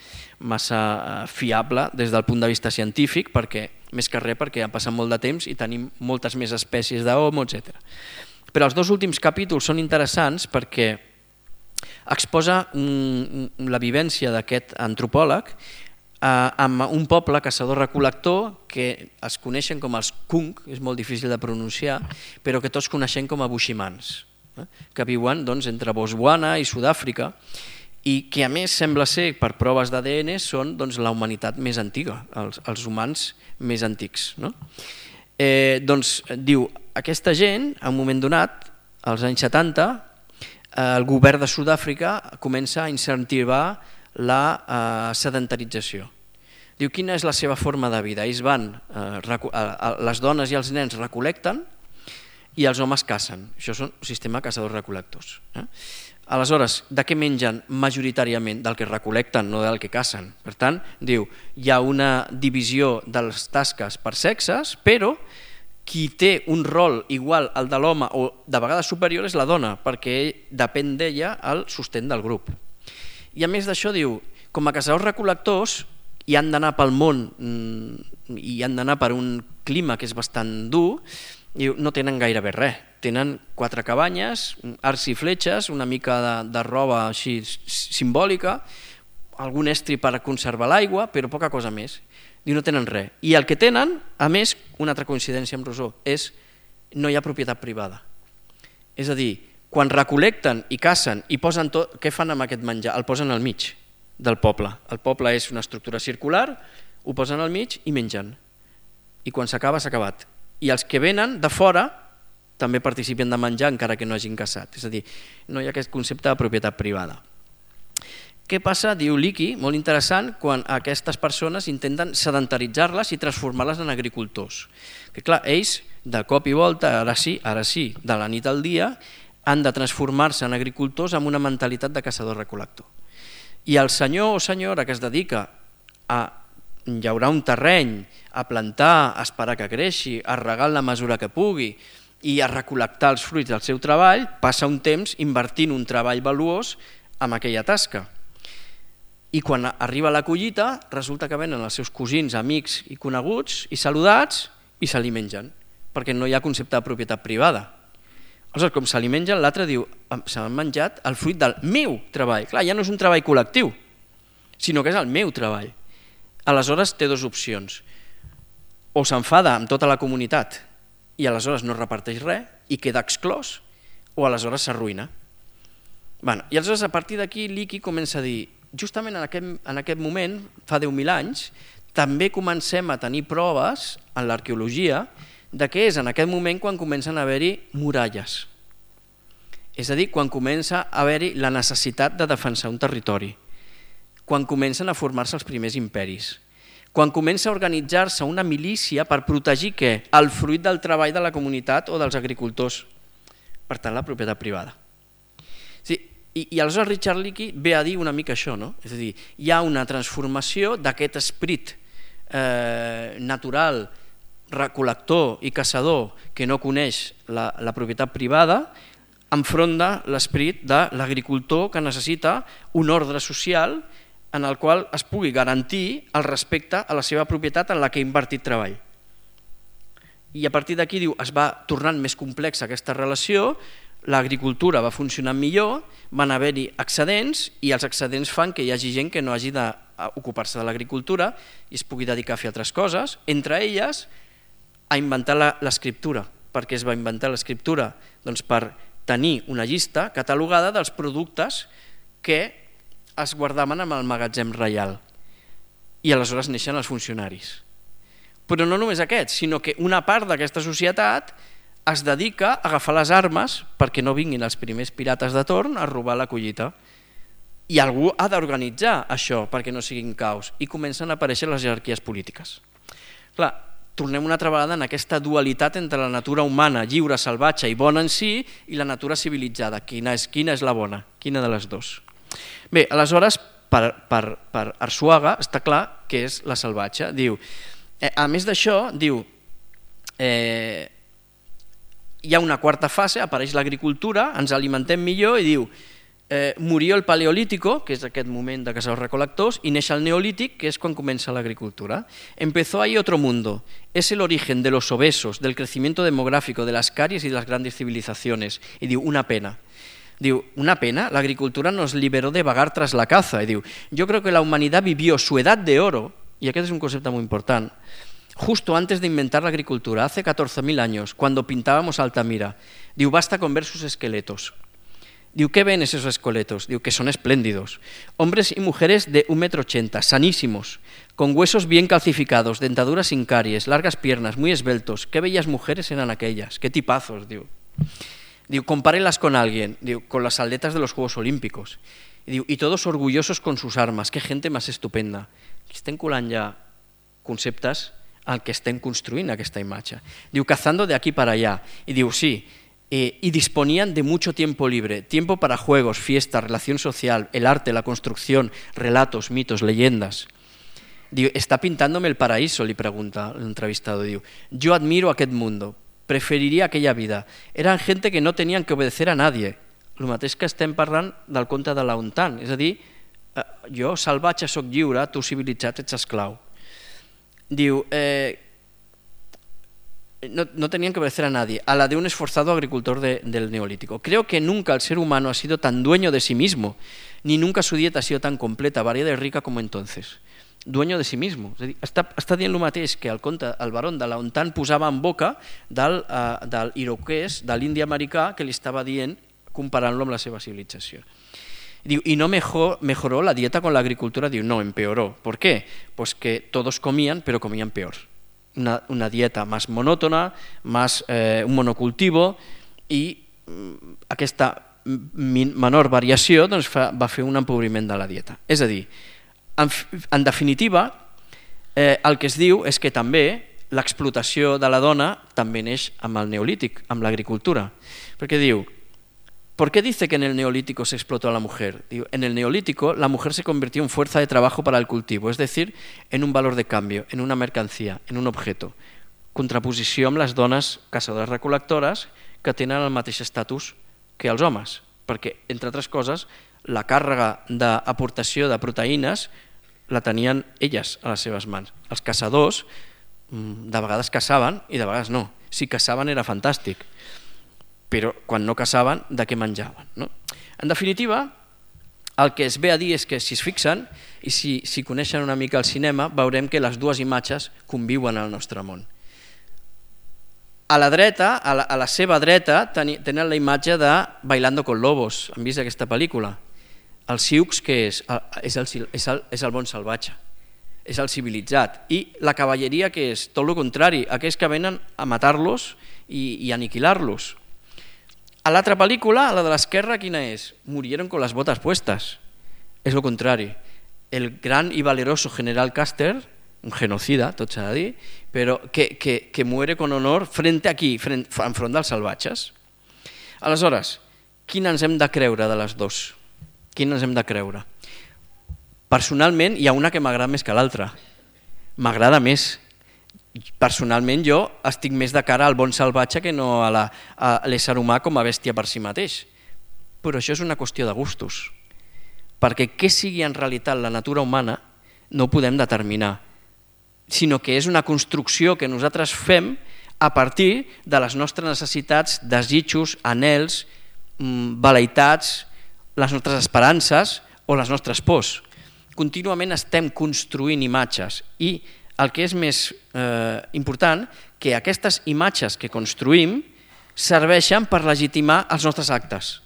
fiable des del punt de vista científic, més que res perquè ha passat molt de temps i tenim moltes més espècies d'homo, etc. Però els 2 últims capítols són interessants perquè exposa la vivència d'aquest antropòleg amb un poble caçador-recol·lector que es coneixen com els Kung, és molt difícil de pronunciar, però que tots coneixem com a bushimans, que viuen entre Botswana i Sud-àfrica i que a més sembla ser, per proves d'ADN, són la humanitat més antiga, els humans més antics. Diu, aquesta gent, en un moment donat, als anys 70, el govern de Sud-àfrica comença a incentivar la sedentarització. Diu, quina és la seva forma de vida? Ells van, les dones i els nens recol·lecten i els homes cacen. Això és un sistema caçadors-recol·lectors. Aleshores, de què mengen majoritàriament? Del que recol·lecten, no del que cacen. Per tant, diu, hi ha una divisió de les tasques per sexes, però qui té un rol igual al de l'home o de vegades superior és la dona, perquè depèn d'ella el sostén del grup. I a més d'això diu, com a caçadors-recol·lectors i han d'anar pel món i han d'anar per un clima que és bastant dur, no tenen gairebé res. Tenen 4 cabanyes, arcs i fletxes, una mica de roba així simbòlica, algun estri per conservar l'aigua, però poca cosa més. No tenen res. I el que tenen, a més, una altra coincidència amb Rousseau, és no hi ha propietat privada. És a dir, quan recol·lecten i cacen i posen tot, què fan amb aquest menjar? El posen al mig del poble. El poble és una estructura circular, ho posen al mig i mengen. I quan s'acaba, s'ha acabat. I els que venen de fora també participen de menjar encara que no hagin caçat. És a dir, no hi ha aquest concepte de propietat privada. Què passa, diu Leakey, molt interessant, quan aquestes persones intenten sedentaritzar-les i transformar-les en agricultors? Que clar, ells, de cop i volta, ara sí, de la nit al dia, han de transformar-se en agricultors amb una mentalitat de caçador-recol·lector. I el senyor o senyora que es dedica a llaurar un terreny, a plantar, a esperar que creixi, a regar en la mesura que pugui i a recol·lectar els fruits del seu treball, passa un temps invertint un treball valuós en aquella tasca. I quan arriba la collita, resulta que venen els seus cosins, amics i coneguts i saludats i se li mengen, perquè no hi ha concepte de propietat privada. Aleshores, com se li mengen, l'altre diu, s'han menjat el fruit del meu treball. Clar, ja no és un treball col·lectiu, sinó que és el meu treball. Aleshores té 2 opcions. O s'enfada amb tota la comunitat i aleshores no reparteix res i queda exclòs, o aleshores s'arruïna. I aleshores a partir d'aquí Leakey comença a dir, justament en aquest moment, fa 10.000 anys, també comencem a tenir proves en l'arqueologia de què és en aquest moment quan comencen a haver-hi muralles. És a dir, quan comença a haver-hi la necessitat de defensar un territori, quan comencen a formar-se els primers imperis, quan comença a organitzar-se una milícia per protegir què? El fruit del treball de la comunitat o dels agricultors, per tant la propietat privada. I aleshores Richard Leakey ve a dir una mica això, no? És a dir, hi ha una transformació d'aquest esperit natural, recol·lector i caçador que no coneix la propietat privada enfront de l'esperit de l'agricultor que necessita un ordre social en el qual es pugui garantir el respecte a la seva propietat en la que ha invertit treball. I a partir d'aquí diu, es va tornant més complexa aquesta relació, l'agricultura va funcionar millor, van haver-hi excedents i els excedents fan que hi hagi gent que no hagi d'ocupar-se de l'agricultura i es pugui dedicar a fer altres coses, entre elles a inventar l'escriptura. Per què es va inventar l'escriptura? Doncs per tenir una llista catalogada dels productes que es guardaven en el magatzem reial i aleshores neixen els funcionaris. Però no només aquests, sinó que una part d'aquesta societat es dedica a agafar les armes perquè no vinguin els primers pirates de torn a robar la collita. I algú ha d'organitzar això perquè no siguin caos i comencen a aparèixer les jerarquies polítiques. Clar, tornem una altra vegada en aquesta dualitat entre la natura humana, lliure, salvatge i bona en si, i la natura civilitzada. Quina és la bona? Quina de les dues? Bé, aleshores, per Arzuaga està clar que és la salvatge. Diu, a més d'això, diu, hi ha una quarta fase, apareix l'agricultura, ens alimentem millor i diu, murió el paleolítico, que és aquest moment de caçadors-recol·lectors, i neix el neolític, que és quan comença l'agricultura. Empezó ahí otro mundo. Es el origen de los obesos, del crecimiento demográfico, de las caries y de las grandes civilizaciones. I diu, una pena. Diu, una pena, la agricultura nos liberó de vagar tras la caza. I diu, yo creo que la humanidad vivió su edad de oro, y aquest és un concepte molt important, justo antes de inventar la agricultura, hace 14.000 años, cuando pintábamos Altamira. Diu, basta con ver sus esqueletos. Diu, ¿qué ven esos esqueletos? Diu, que son espléndidos. Hombres y mujeres de 1,80 m, sanísimos, con huesos bien calcificados, dentaduras sin caries, largas piernas, muy esbeltos. Qué bellas mujeres eran aquellas, qué tipazos, diu. Diu, compárenlas con alguien, diu, con las atletas de los Juegos Olímpicos. Diu, y todos orgullosos con sus armas, qué gente más estupenda. Estem colant ja conceptes al que estem construint aquesta imatge. Diu, cazando de aquí para allá. Y diu, sí, y disponían de mucho tiempo libre, tiempo para juegos, fiestas, relación social, el arte, la construcción, relatos, mitos, leyendas. Diu, está pintándome el paraíso, li pregunta l'entrevistado. Diu, yo admiro aquest mundo, preferiria aquella vida. Eran gente que no tenien que obedecer a nadie. El mateix que estem parlant del conte de l'Auntan, és a dir, jo salvatge soc lliure, tu civilitzat ets esclau. Diu, no tenían que obedecer a nadie, a la de un esforzado agricultor del Neolítico. Creo que nunca el ser humano ha sido tan dueño de sí mismo, ni nunca su dieta ha sido tan completa, variada y rica como entonces. Dueño de sí mismo. És a dir, està dient el mateix que el conte, el barón de Laontan posava en boca del iroquès, de l'indi americà, que li estava dient, comparant-lo amb la seva civilització. Diu, y no mejoró la dieta con la agricultura. Diu, no, empeoró. ¿Por qué? Pues que todos comían, pero comían peor. Una dieta más monòtona, más un monocultivo, i aquesta menor variació doncs, va fer un empobriment de la dieta. És a dir, en definitiva, el que es diu és que també l'explotació de la dona també neix amb el neolític, amb l'agricultura. Perquè diu, ¿por qué dice que en el neolítico se explotó a la mujer? Digo, en el neolítico la mujer se convirtió en fuerza de trabajo para el cultivo, es decir, en un valor de cambio, en una mercancía, en un objeto. Contraposició amb les dones caçadores-recol·lectores que tenen el mateix estatus que els homes, perquè, entre altres coses, la càrrega d'aportació de proteïnes la tenien elles a les seves mans. Els caçadors de vegades caçaven i de vegades no. Si caçaven era fantàstic, però quan no caçaven, de què menjaven? No? En definitiva, el que es ve a dir és que si es fixen i si coneixen una mica el cinema, veurem que les dues imatges conviuen al nostre món. A la dreta, a la seva dreta, tenen la imatge de Bailando con Lobos. Han vist aquesta pel·lícula? El Sioux, què és? És el bon salvatge, és el civilitzat. I la cavalleria, què és? Tot el contrari, aquells que venen a matar-los i aniquilar-los. A l'altra pel·lícula, a la de l'esquerra, quina és? Murieron con las botas puestas. És el contrari. El gran y valeroso general Custer, un genocida, tot s'ha de dir, però que muere con honor enfront dels salvatges. Aleshores, quina ens hem de creure de les dues? Quina ens hem de creure? Personalment, hi ha una que m'agrada més que l'altra. M'agrada més. Personalment jo estic més de cara al bon salvatge que no a l'ésser humà com a bèstia per si mateix. Però això és una qüestió de gustos. Perquè què sigui en realitat la natura humana no ho podem determinar, sinó que és una construcció que nosaltres fem a partir de les nostres necessitats, desitjos, anhels, velleitats, les nostres esperances o les nostres pors. Contínuament estem construint imatges i el que és més important, que aquestes imatges que construïm serveixen per legitimar els nostres actes.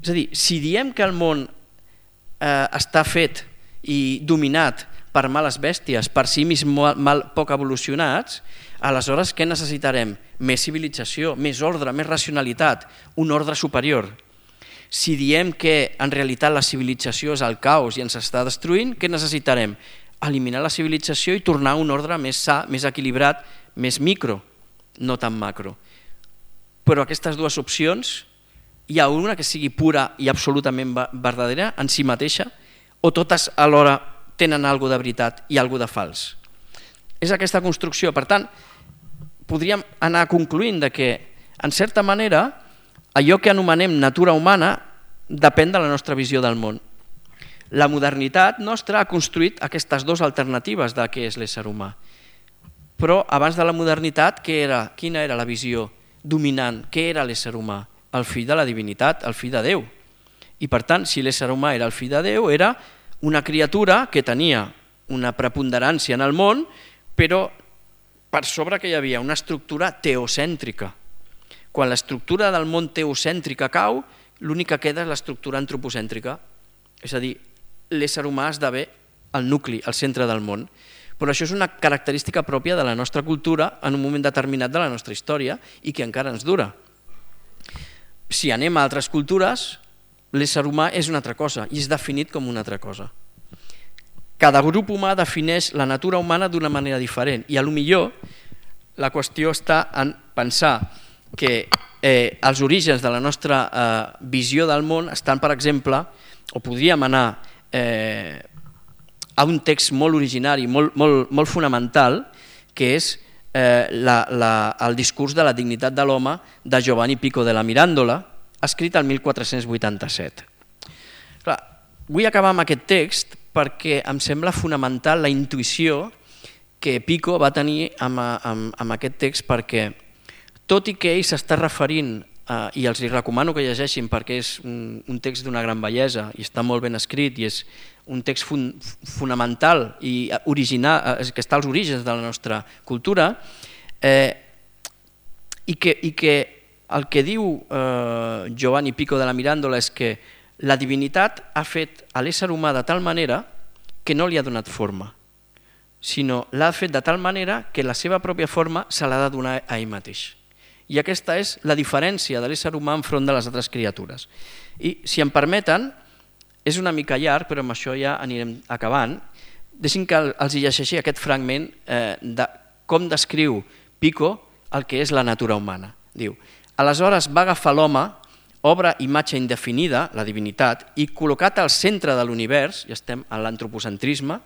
És a dir, si diem que el món està fet i dominat per males bèsties, per simis poc evolucionats, aleshores què necessitarem? Més civilització, més ordre, més racionalitat, un ordre superior. Si diem que en realitat la civilització és el caos i ens està destruint, què necessitarem? Eliminar la civilització i tornar a un ordre més sa, més equilibrat, més micro, no tan macro. Però aquestes dues opcions, hi ha una que sigui pura i absolutament verdadera en si mateixa, o totes alhora tenen alguna de veritat i alguna de fals. És aquesta construcció. Per tant, podríem anar concloent que, en certa manera, allò que anomenem natura humana depèn de la nostra visió del món. La modernitat nostra ha construït aquestes dues alternatives de què és l'ésser humà. Però abans de la modernitat, quina era la visió dominant? Què era l'ésser humà? El fill de la divinitat, el fill de Déu. I per tant, si l'ésser humà era el fill de Déu, era una criatura que tenia una preponderància en el món, però per sobre que hi havia una estructura teocèntrica. Quan l'estructura del món teocèntrica cau, l'únic que queda és l'estructura antropocèntrica. És a dir, l'ésser humà esdevé el nucli, el centre del món. Però això és una característica pròpia de la nostra cultura en un moment determinat de la nostra història i que encara ens dura. Si anem a altres cultures, l'ésser humà és una altra cosa i és definit com una altra cosa. Cada grup humà defineix la natura humana d'una manera diferent i potser la qüestió està en pensar que els orígens de la nostra visió del món estan, per exemple, o podríem anar a un text molt originari, molt fonamental, que és el discurs de la dignitat de l'home de Giovanni Pico della Mirandola, escrit el 1487. vull acabar amb aquest text perquè em sembla fonamental la intuïció que Pico va tenir amb aquest text, perquè tot i que ell s'està referint, i els recomano que llegeixin perquè és un text d'una gran bellesa i està molt ben escrit i és un text fonamental i original, que està als orígens de la nostra cultura, i que el que diu Giovanni Pico de la Mirandola és que la divinitat ha fet a l'ésser humà de tal manera que no li ha donat forma, sinó l'ha fet de tal manera que la seva pròpia forma se l'ha de donar a ell mateix. I aquesta és la diferència de l'ésser humà enfront de les altres criatures. I, si em permeten, és una mica llarg, però amb això ja anirem acabant. Deixin que els llegeixi aquest fragment de com descriu Pico el que és la natura humana. Diu: aleshores va agafar l'home, obra imatge indefinida, la divinitat, i col·locat al centre de l'univers, ja estem en l'antropocentrisme,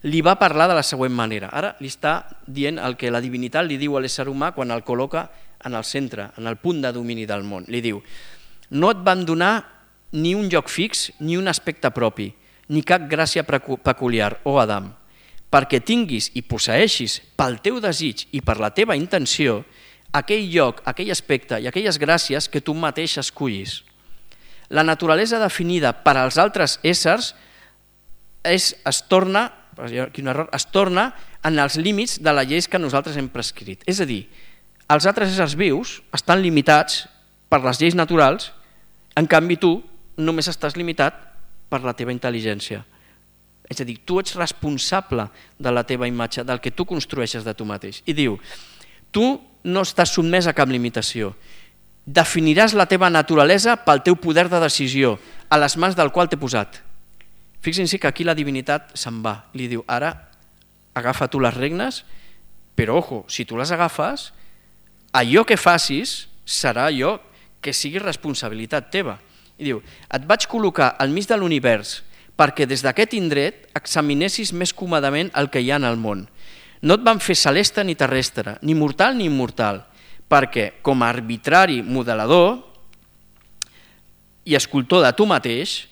li va parlar de la següent manera. Ara li està dient el que la divinitat li diu a l'ésser humà quan el col·loca en el centre, en el punt de domini del món. Li diu: no et van donar ni un lloc fix ni un aspecte propi, ni cap gràcia peculiar, oh Adam, perquè tinguis i posseeixis pel teu desig i per la teva intenció aquell lloc, aquell aspecte i aquelles gràcies que tu mateix escullis. La naturalesa definida per als altres éssers es torna en els límits de les lleis que nosaltres hem prescrit. És a dir, els altres éssers vius estan limitats per les lleis naturals, en canvi tu només estàs limitat per la teva intel·ligència. És a dir, tu ets responsable de la teva imatge, del que tu construeixes de tu mateix. I diu: tu no estàs sotmès a cap limitació. Definiràs la teva naturalesa pel teu poder de decisió, a les mans del qual t'he posat. Fixin-se que aquí la divinitat se'n va. Li diu: ara agafa tu les regnes, però ojo, si tu les agafes, allò que facis serà allò que sigui responsabilitat teva. I diu: et vaig col·locar al mig de l'univers perquè des d'aquest indret examinessis més còmodament el que hi ha en el món. No et van fer celeste ni terrestre, ni mortal ni immortal, perquè com a arbitrari modelador i escultor de tu mateix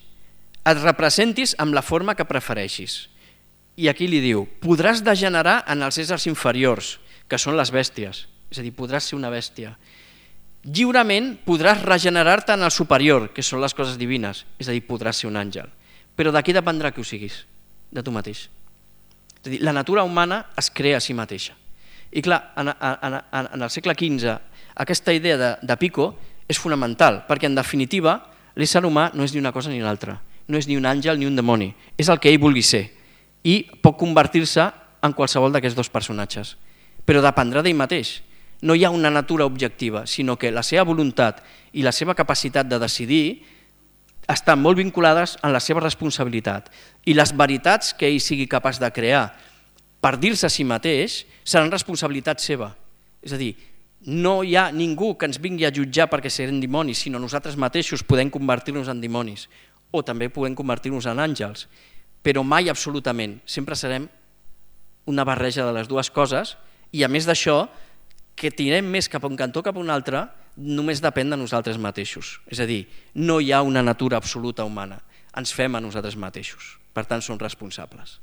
et representis amb la forma que prefereixis. I aquí li diu: podràs degenerar en els éssers inferiors, que són les bèsties, és a dir, podràs ser una bèstia. Lliurement podràs regenerar-te en el superior, que són les coses divines, és a dir, podràs ser un àngel. Però d'aquí dependrà que ho siguis, de tu mateix. És a dir, la natura humana es crea a si mateixa. I clar, en el segle XV aquesta idea de Pico és fonamental, perquè en definitiva l'ésser humà no és ni una cosa ni l'altra, no és ni un àngel ni un demoni, és el que ell vulgui ser i pot convertir-se en qualsevol d'aquests dos personatges, però dependrà d'ell mateix. No hi ha una natura objectiva, sinó que la seva voluntat i la seva capacitat de decidir estan molt vinculades en la seva responsabilitat, i les veritats que ell sigui capaç de crear per dir-se a si mateix seran responsabilitat seva. És a dir, no hi ha ningú que ens vingui a jutjar perquè serem dimonis, sinó nosaltres mateixos podem convertir-nos en dimonis, o també podem convertir-nos en àngels, però mai absolutament, sempre serem una barreja de les dues coses, i a més d'això, que tirem més cap a un cantó o cap a un altre, només depèn de nosaltres mateixos. És a dir, no hi ha una natura absoluta humana, ens fem a nosaltres mateixos, per tant som responsables.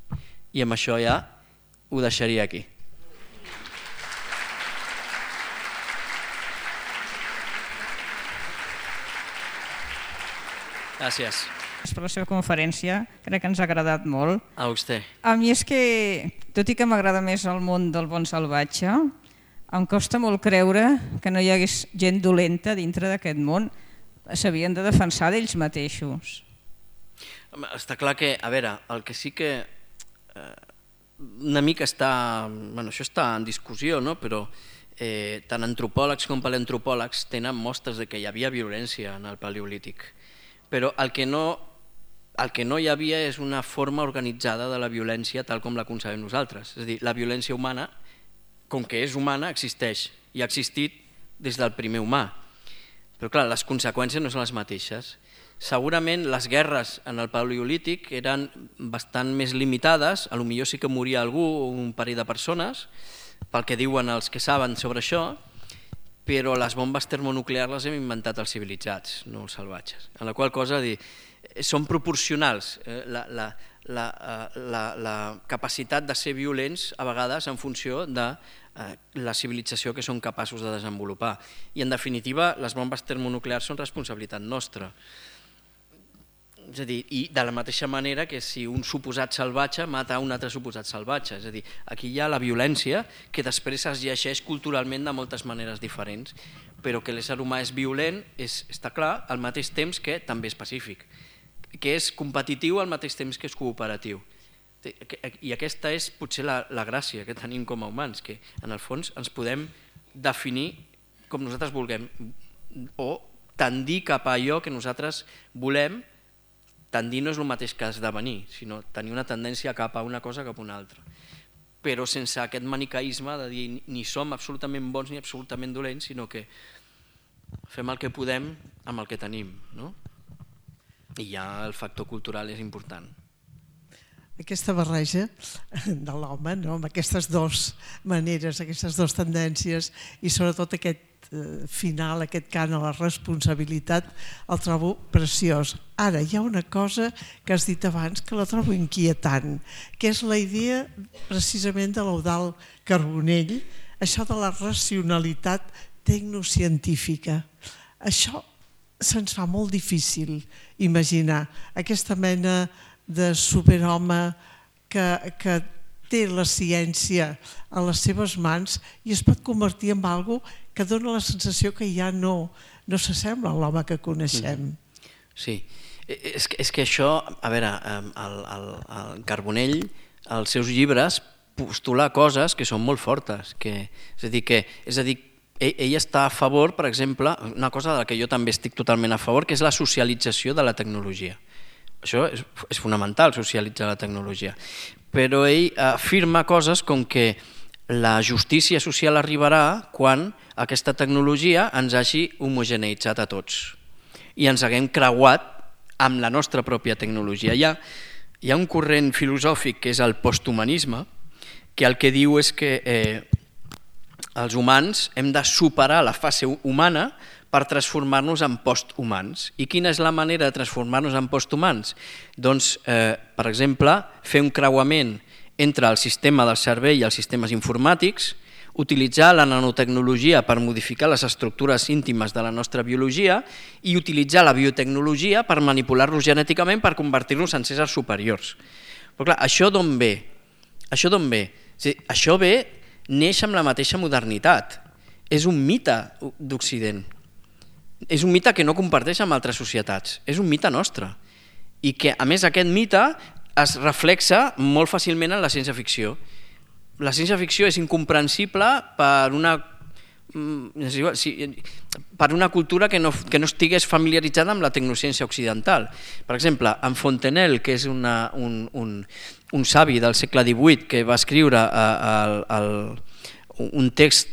I amb això ja ho deixaria aquí. Gràcies. Per la seva conferència, crec que ens ha agradat molt. A vostè. A mi és que, tot i que m'agrada més el món del món salvatge, em costa molt creure que no hi hagués gent dolenta dintre d'aquest món. S'havien de defensar d'ells mateixos. Està clar que, a veure, el que sí que una mica està, bueno, això està en discussió, no? Però tant antropòlegs com paleantropòlegs tenen mostres de que hi havia violència en el paleolític. Però el que no hi havia és una forma organitzada de la violència tal com la concebem nosaltres. És a dir, la violència humana, com que és humana, existeix i ha existit des del primer humà. Però clar, les conseqüències no són les mateixes. Segurament les guerres en el paleolític eren bastant més limitades, potser sí que moria algú o un parell de persones, pel que diuen els que saben sobre això, però les bombes termonuclears les hem inventat els civilitzats, no els salvatges. En la qual cosa, són proporcionals. La capacitat de ser violents a vegades en funció de la civilització que són capaços de desenvolupar. I en definitiva les bombes termonuclears són responsabilitat nostra. És a dir, i de la mateixa manera que si un suposat salvatge mata un altre suposat salvatge. És a dir, aquí hi ha la violència que després es llegeix culturalment de moltes maneres diferents, però que l'ésser humà és violent està clar, al mateix temps que també és pacífic, que és competitiu al mateix temps que és cooperatiu. I aquesta és potser la gràcia que tenim com a humans, que en el fons ens podem definir com nosaltres vulguem o tendir cap a allò que nosaltres volem. Tendir no és el mateix que esdevenir, sinó tenir una tendència cap a una cosa cap a una altra. Però sense aquest manicaisme de dir ni som absolutament bons ni absolutament dolents, sinó que fem el que podem amb el que tenim. I ja el factor cultural és important. Aquesta barreja de l'home, amb aquestes dues maneres, aquestes dues tendències i sobretot aquest final, aquest cant a la responsabilitat, el trobo preciós. Ara, hi ha una cosa que has dit abans que la trobo inquietant, que és la idea precisament de l'Eudald Carbonell, això de la racionalitat tecnocientífica. Això se'ns fa molt difícil imaginar aquesta mena de superhome que té la ciència a les seves mans i es pot convertir en algo que dona la sensació que ja no s'assembla a l'home que coneixem. Sí, és que això, a veure, el Carbonell, als seus llibres, postula coses que són molt fortes. És a dir, ell està a favor, per exemple, una cosa de la que jo també estic totalment a favor, que és la socialització de la tecnologia. Això és fonamental, socialitzar la tecnologia. Però ell afirma coses com que la justícia social arribarà quan aquesta tecnologia ens hagi homogeneïtzat a tots i ens haguem creuat amb la nostra pròpia tecnologia. Hi ha un corrent filosòfic que és el posthumanisme, que el que diu és que els humans hem de superar la fase humana per transformar-nos en posthumans. I quina és la manera de transformar-nos en posthumans? Doncs, per exemple, fer un creuament entre el sistema del cervell i els sistemes informàtics, utilitzar la nanotecnologia per modificar les estructures íntimes de la nostra biologia i utilitzar la biotecnologia per manipular-nos genèticament per convertir-nos en éssers superiors. Però clar, això d'on ve? Això neix amb la mateixa modernitat. És un mite d'Occident. És un mite que no comparteix amb altres societats. És un mite nostre. I que, a més, aquest mite es reflexa molt fàcilment en la ciència-ficció. La ciència-ficció és incomprensible per una cultura que no estigués familiaritzada amb la tecnociència occidental. Per exemple, en Fontenelle, que és un savi del segle XVIII que va escriure un text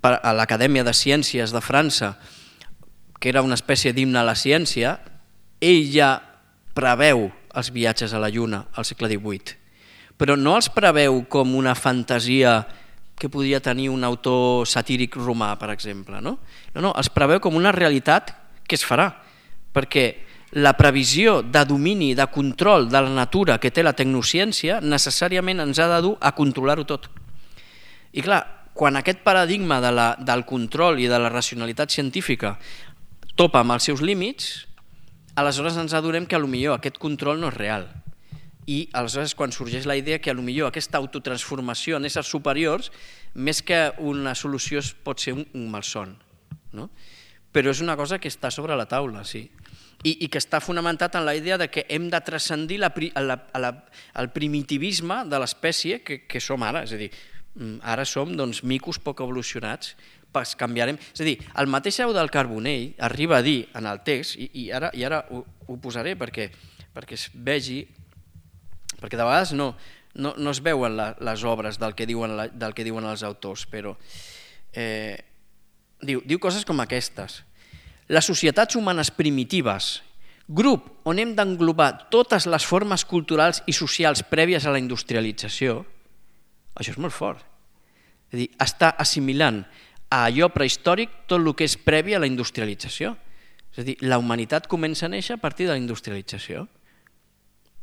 a l'Acadèmia de Ciències de França, que era una espècie d'himne a la ciència, ell ja preveu els viatges a la Lluna al segle XVIII, però no els preveu com una fantasia que podria tenir un autor satíric romà, per exemple. No, els preveu com una realitat que es farà, perquè la previsió de domini, de control de la natura que té la tecnociència necessàriament ens ha de dur a controlar-ho tot. I clar, quan aquest paradigma del control i de la racionalitat científica topa amb els seus límits, aleshores ens adonem que potser aquest control no és real. I aleshores quan sorgeix la idea que potser aquesta autotransformació en éssers superiors, més que una solució pot ser un malson. Però és una cosa que està sobre la taula, sí. I que està fonamentat en la idea de que hem de transcendir el primitivisme de l'espècie que som ara. És a dir, ara som micos poc evolucionats, canviarem. És a dir, el mateix Eudald Carbonell arriba a dir en el text, i ara ho posaré perquè es vegi, perquè de vegades no es veuen les obres del que diuen els autors, però diu coses com aquestes. Les societats humanes primitives, grup on hem d'englobar totes les formes culturals i socials prèvies a la industrialització, això és molt fort. És a dir, està assimilant a allò prehistòric tot el que és previ a la industrialització. És a dir, la humanitat comença a néixer a partir de la industrialització.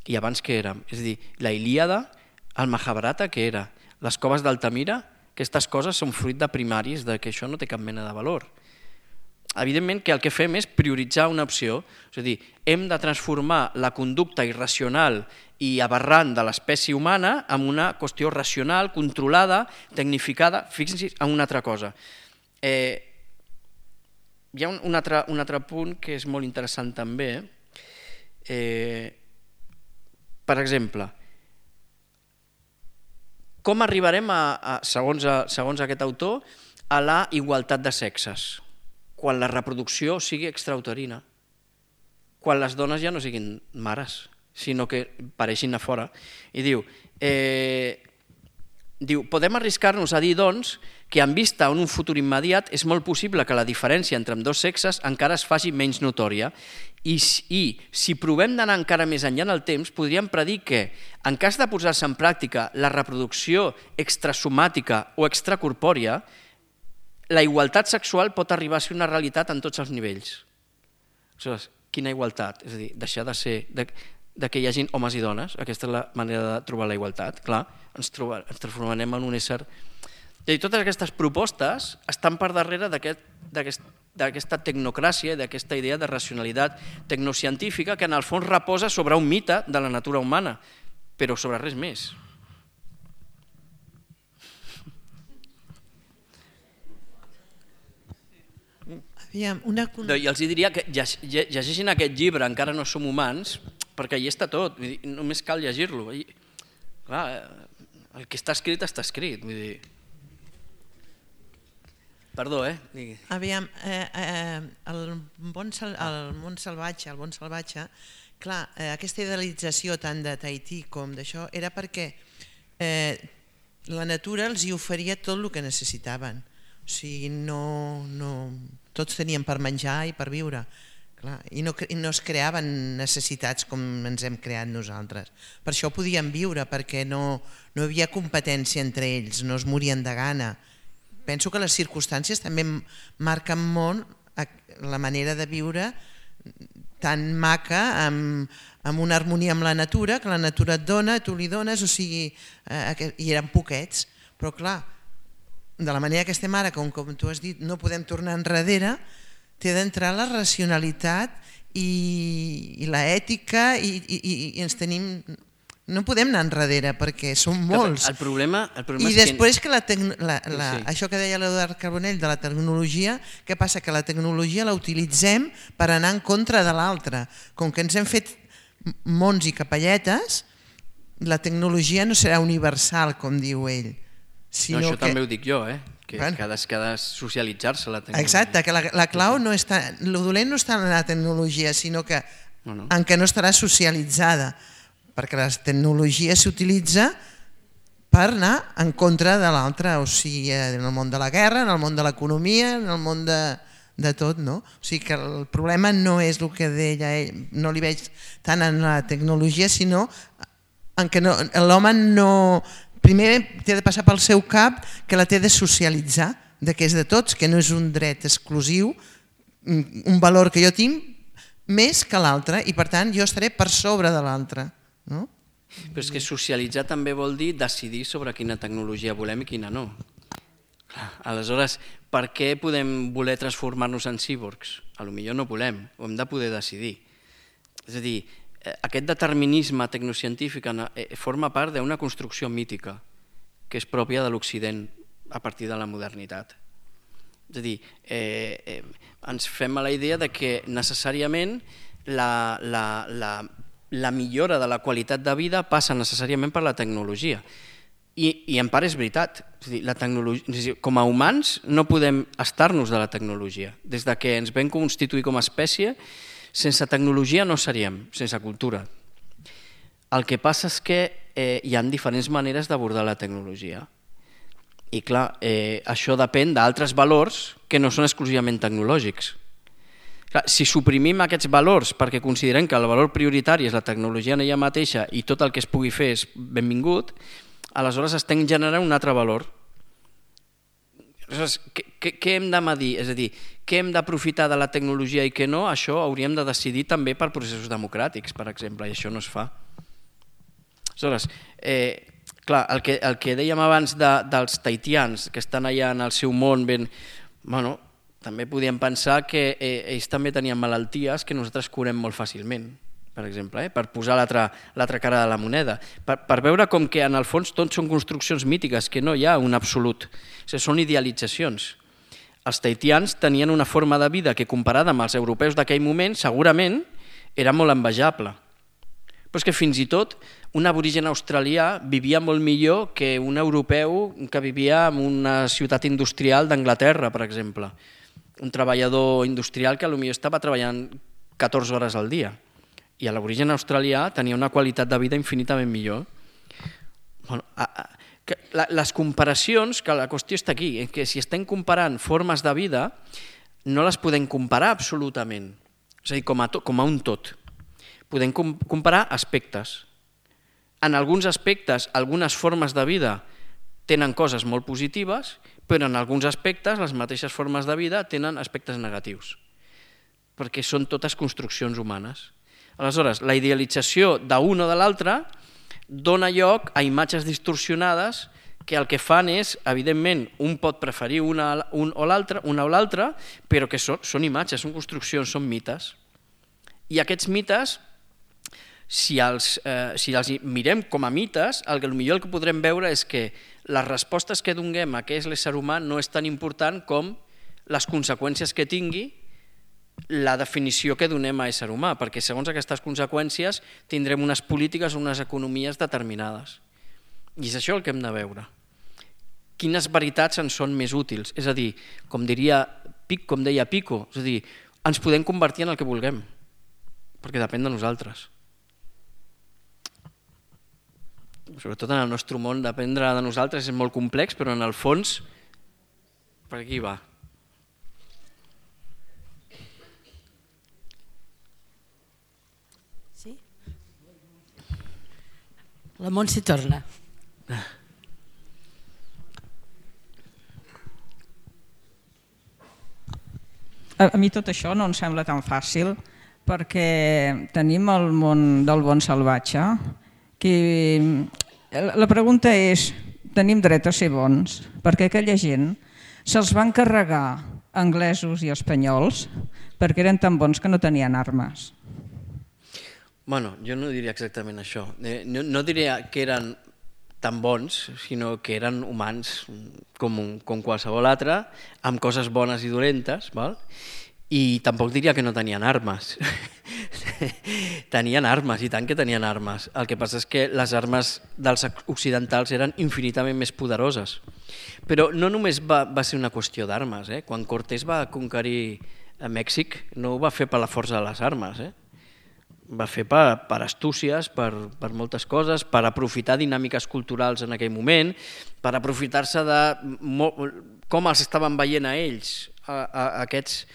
I abans què érem? És a dir, la Ilíada, el Mahabharata, què era? Les coves d'Altamira, aquestes coses són fruit de primaris, que això no té cap mena de valor. Evidentment que el que fem és prioritzar una opció, és a dir, hem de transformar la conducta irracional i aberrant de l'espècie humana en una qüestió racional, controlada, tecnificada. Fixin-se en una altra cosa. Hi ha un altre punt que és molt interessant també. Per exemple, com arribarem, segons aquest autor, a la igualtat de sexes? Quan la reproducció sigui extrauterina, quan les dones ja no siguin mares, sinó que pareixin a fora. I diu, podem arriscar-nos a dir, doncs, que en vista en un futur immediat és molt possible que la diferència entre ambdós sexes encara es faci menys notòria i si provem d'anar encara més enllà en el temps, podríem predir que, en cas de posar-se en pràctica la reproducció extrasomàtica o extracorpòria, la igualtat sexual pot arribar a ser una realitat en tots els nivells. Aleshores, quina igualtat? És a dir, deixar de ser que hi hagin homes i dones, aquesta és la manera de trobar la igualtat. Clar, ens transformarem en un ésser... I totes aquestes propostes estan per darrere d'aquesta tecnocràcia i d'aquesta idea de racionalitat tecnocientífica que en el fons reposa sobre un mite de la natura humana, però sobre res més. I els diria que llegeixin aquest llibre, Encara no som humans, perquè hi està tot, només cal llegir-lo. Clar, el que està escrit, està escrit. Perdó, Aviam, el món salvatge, clar, aquesta idealització tant de Tahití com d'això era perquè la natura els hi oferia tot el que necessitaven. O sigui, tots tenien per menjar i per viure. I no es creaven necessitats com ens hem creat nosaltres. Per això podien viure, perquè no hi havia competència entre ells, no es morien de gana. Penso que les circumstàncies també marquen molt la manera de viure tan maca, amb una harmonia amb la natura, que la natura et dona, tu li dones, o sigui, i eren poquets. Però clar, de la manera que estem ara, com tu has dit, no podem tornar enrere, té d'entrar la racionalitat i l'ètica i ens tenim... No podem anar enrere perquè som molts. El problema I després que això que deia l'Eduard Carbonell de la tecnologia, què passa? Que la tecnologia la utilitzem per anar en contra de l'altra. Com que ens hem fet mons i capelletes, la tecnologia no serà universal, com diu ell. Això també ho dic jo, que ha de socialitzar-se la tecnologia. Exacte, que la clau no està... El dolent no està en la tecnologia, sinó que en què no estarà socialitzada, perquè la tecnologia s'utilitza per anar en contra de l'altre, o sigui, en el món de la guerra, en el món de l'economia, en el món de tot, no? O sigui que el problema no és el que deia ell, no li veig tant en la tecnologia, sinó en que l'home no... Primer té de passar pel seu cap que la té de socialitzar, que és de tots, que no és un dret exclusiu, un valor que jo tinc més que l'altre i per tant jo estaré per sobre de l'altre. Però és que socialitzar també vol dir decidir sobre quina tecnologia volem i quina no. Aleshores, per què podem voler transformar-nos en cíborgs? Potser no volem, ho hem de poder decidir. És a dir, aquest determinisme tecnocientífic forma part d'una construcció mítica que és pròpia de l'Occident a partir de la modernitat. És a dir, ens fem a la idea que necessàriament la millora de la qualitat de vida passa necessàriament per la tecnologia. I en part és veritat. Com a humans no podem estar-nos de la tecnologia. Des que ens vam constituir com a espècie, sense tecnologia no seríem, sense cultura. El que passa és que hi ha diferents maneres d'abordar la tecnologia. I clar, això depèn d'altres valors que no són exclusivament tecnològics. Si suprimim aquests valors perquè considerem que el valor prioritari és la tecnologia en ella mateixa i tot el que es pugui fer és benvingut, aleshores estem generant un altre valor. Aleshores, què hem de medir? És a dir, què hem d'aprofitar de la tecnologia i què no? Això hauríem de decidir també per processos democràtics, per exemple, i això no es fa. Aleshores, clar, el que dèiem abans dels tahitians que estan allà en el seu món, bueno, també podíem pensar que ells també tenien malalties que nosaltres curem molt fàcilment, per exemple, per posar l'altra cara de la moneda, per veure com que en el fons tot són construccions mítiques, que no hi ha un absolut, són idealitzacions. Els tahitians tenien una forma de vida que comparada amb els europeus d'aquell moment segurament era molt envejable, però és que fins i tot un aborigen australià vivia molt millor que un europeu que vivia en una ciutat industrial d'Anglaterra, per exemple. Un treballador industrial que potser estava treballant 14 hores al dia i l'aborigen australià tenia una qualitat de vida infinitament millor. Les comparacions, que la qüestió està aquí, que si estem comparant formes de vida no les podem comparar absolutament, és a dir, com a un tot. Podem comparar aspectes. En alguns aspectes, algunes formes de vida tenen coses molt positives, però en alguns aspectes les mateixes formes de vida tenen aspectes negatius, perquè són totes construccions humanes. Aleshores, la idealització d'un o de l'altre dona lloc a imatges distorsionades que el que fan és, evidentment, un pot preferir una o l'altra, però que són imatges, són construccions, són mites. I aquests mites, si els mirem com a mites, el que podrem veure és que les respostes que donem a què és l'ésser humà no és tan important com les conseqüències que tingui la definició que donem a ésser humà, perquè segons aquestes conseqüències tindrem unes polítiques o unes economies determinades. I és això el que hem de veure. Quines veritats ens són més útils? És a dir, com deia Pico, és a dir, ens podem convertir en el que vulguem, perquè depèn de nosaltres. Sobretot en el nostre món, dependre de nosaltres és molt complex, però en el fons, per aquí va. Sí? La Montse torna. A mi tot això no em sembla tan fàcil, perquè tenim el món del bon salvatge, que la pregunta és, tenim dret a ser bons, perquè aquella gent se'ls van carregar anglesos i espanyols perquè eren tan bons que no tenien armes. Bueno, jo no diria exactament això. No diria que eren tan bons, sinó que eren humans com qualsevol altre, amb coses bones i dolentes, val? I tampoc diria que no tenien armes. Tenien armes, i tant que tenien armes. El que passa és que les armes dels occidentals eren infinitament més poderoses. Però no només va ser una qüestió d'armes. Quan Cortés va conquerir Mèxic no ho va fer per la força de les armes. Va fer per astúcies, per moltes coses, per aprofitar dinàmiques culturals en aquell moment, per aprofitar-se de com els estaven veient a ells, a aquests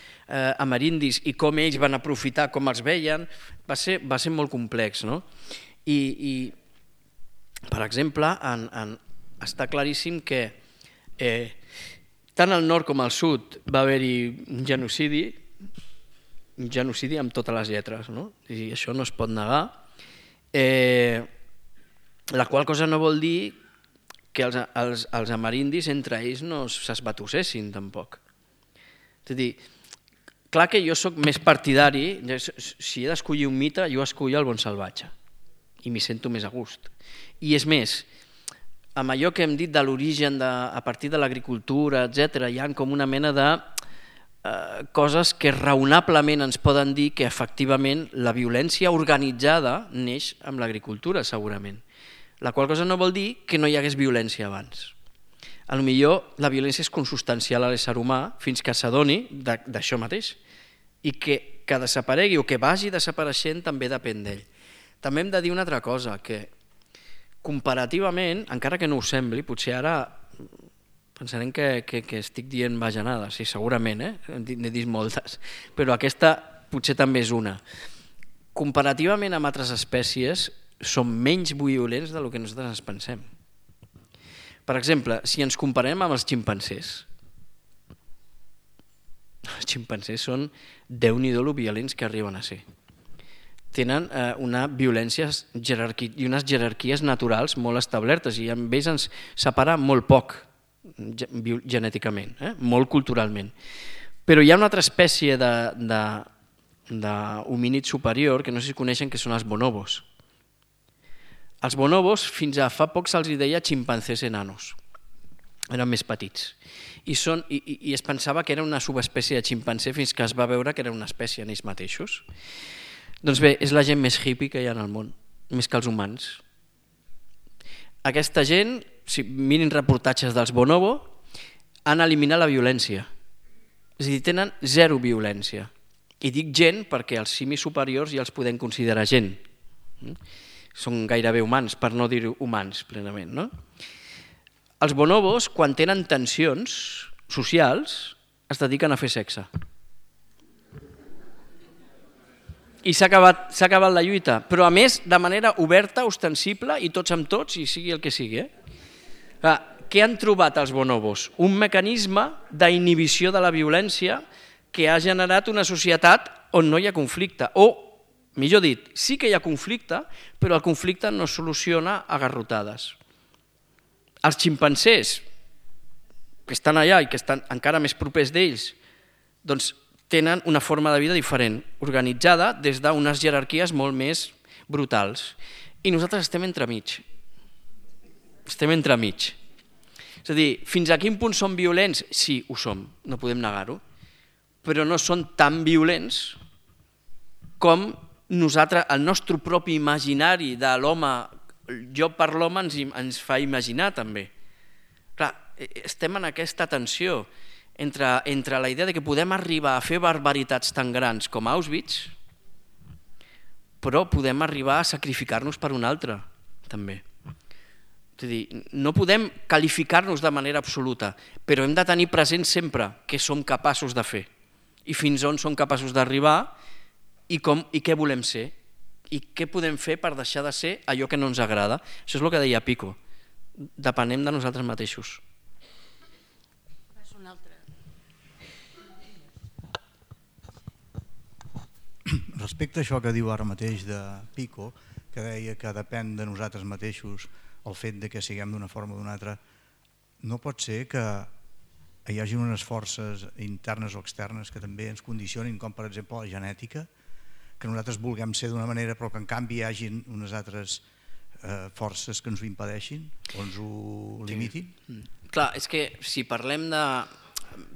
amerindis, i com ells van aprofitar com els veien. Va ser molt complex, no? I per exemple, està claríssim que tant al nord com al sud va haver-hi un genocidi amb totes les lletres, no? I això no es pot negar, la qual cosa no vol dir que els amerindis entre ells no s'esbatussessin tampoc. És a dir, clar que jo soc més partidari, si he d'escollir un mite, jo escollo el bon salvatge i m'hi sento més a gust. I és més, amb allò que hem dit de l'origen a partir de l'agricultura, etc., hi ha com una mena de coses que raonablement ens poden dir que efectivament la violència organitzada neix amb l'agricultura, segurament. La qual cosa no vol dir que no hi hagués violència abans. Potser la violència és consustancial a l'ésser humà fins que s'adoni d'això mateix, i que desaparegui o que vagi desapareixent també depèn d'ell. També hem de dir una altra cosa, que comparativament, encara que no ho sembli, potser ara pensarem que estic dient bajanades, sí, segurament, n'he dit moltes, però aquesta potser també és una. Comparativament amb altres espècies, són menys violents del que nosaltres ens pensem. Per exemple, si ens comparem amb els ximpancers, Els ximpancers són déu-n'hi-do lo violents que arriben a ser. Tenen una violència i unes jerarquies naturals molt establertes i amb ells ens separa molt poc genèticament, molt culturalment. Però hi ha una altra espècie d'homínid superior que no sé si coneixen, que són els bonobos. Els bonobos fins a fa poc se'ls deia ximpancers enanos. Eren més petits. I es pensava que era una subespècie de ximpanzé fins que es va veure que era una espècie en ells mateixos. Doncs bé, és la gent més hippie que hi ha en el món, més que els humans. Aquesta gent, si mirin reportatges dels bonobo, han eliminat la violència. És a dir, tenen zero violència. I dic gent perquè els simis superiors ja els podem considerar gent. Són gairebé humans, per no dir humans plenament, no? Els bonobos, quan tenen tensions socials, es dediquen a fer sexe. I s'ha acabat la lluita, però a més de manera oberta, ostensible, i tots amb tots, i sigui el que sigui. Què han trobat els bonobos? Un mecanisme d'inhibició de la violència que ha generat una societat on no hi ha conflicte, o, millor dit, sí que hi ha conflicte, però el conflicte no es soluciona a garrotades. Els ximpancers, que estan allà i que estan encara més propers d'ells, doncs tenen una forma de vida diferent, organitzada des d'unes jerarquies molt més brutals. I nosaltres estem entremig. Estem entremig. És a dir, fins a quin punt som violents? Sí, ho som, no podem negar-ho, però no són tan violents com nosaltres, el nostre propi imaginari de l'home, jo per l'home ens fa imaginar també. Clar, estem en aquesta tensió entre la idea de que podem arribar a fer barbaritats tan grans com Auschwitz, però podem arribar a sacrificar-nos per un altre, també. És a dir, no podem qualificar-nos de manera absoluta, però hem de tenir present sempre què som capaços de fer i fins on som capaços d'arribar i què volem ser i què podem fer per deixar de ser allò que no ens agrada. Això és el que deia Pico, depenem de nosaltres mateixos. Respecte a això que diu ara mateix de Pico, que deia que depèn de nosaltres mateixos el fet de que siguem d'una forma o d'una altra, no pot ser que hi hagi unes forces internes o externes que també ens condicionin, com per exemple la genètica, que nosaltres vulguem ser d'una manera però que en canvi hi hagi unes altres forces que ens ho impedeixin o ens ho limitin? Clar, és que si parlem de...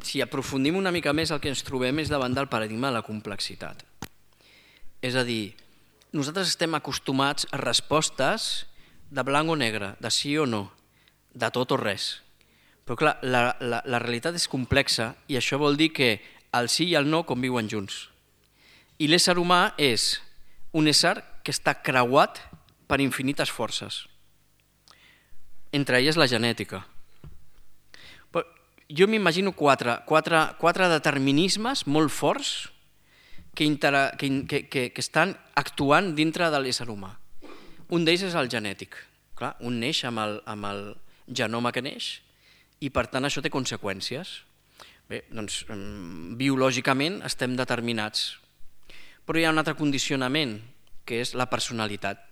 Si aprofundim una mica més, el que ens trobem és davant del paradigma de la complexitat. És a dir, nosaltres estem acostumats a respostes de blanc o negre, de sí o no, de tot o res. Però clar, la realitat és complexa i això vol dir que el sí i el no conviuen junts. I l'ésser humà és un ésser que està creuat per infinites forces, entre elles la genètica. Però jo m'imagino quatre determinismes molt forts que estan actuant dintre de l'ésser humà. Un d'ells és el genètic. Clar, un neix amb el genoma que neix i per tant això té conseqüències. Bé, doncs biològicament estem determinats. Però hi ha un altre condicionament, que és la personalitat.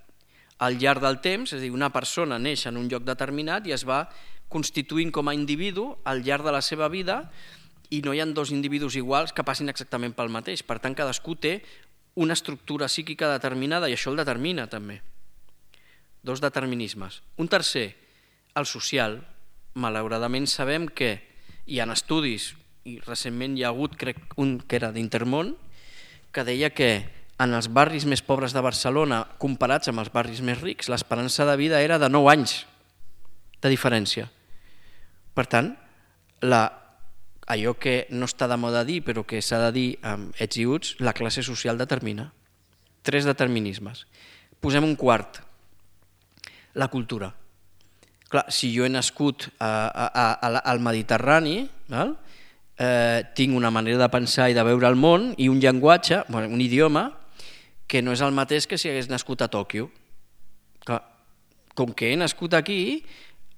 Al llarg del temps, és a dir, una persona neix en un lloc determinat i es va constituint com a individu al llarg de la seva vida i no hi ha dos individus iguals que passin exactament pel mateix. Per tant, cadascú té una estructura psíquica determinada i això el determina també. Dos determinismes. Un tercer, el social. Malauradament sabem que hi ha estudis, i recentment hi ha hagut, crec, un que era d'Intermón, que deia que en els barris més pobres de Barcelona, comparats amb els barris més rics, l'esperança de vida era de 9 anys de diferència. Per tant, allò que no està de moda dir, però que s'ha de dir amb ets i uts, la classe social determina. 3 determinismes. Posem un quart, la cultura. Clar, si jo he nascut al Mediterrani, tinc una manera de pensar i de veure el món i un llenguatge, un idioma, que no és el mateix que si hagués nascut a Tòquio. Com que he nascut aquí,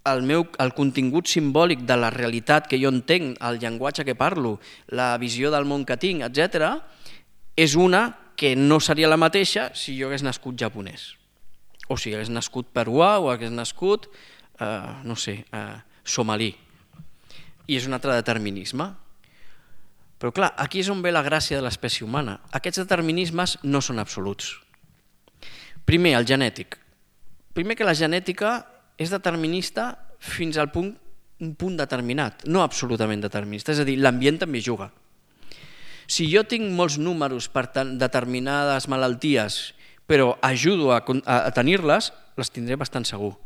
el contingut simbòlic de la realitat que jo entenc, el llenguatge que parlo, la visió del món que tinc, etc., és una que no seria la mateixa si jo hagués nascut japonès, o si hagués nascut peruà o hagués nascut, no sé, somalí. I és un altre determinisme. Però clar, aquí és on ve la gràcia de l'espècie humana. Aquests determinismes no són absoluts. Primer, el genètic. Primer que la genètica és determinista fins al punt, un punt determinat, no absolutament determinista, és a dir, l'ambient també juga. Si jo tinc molts números per determinades malalties, però ajudo a tenir-les, les tindré bastant segur.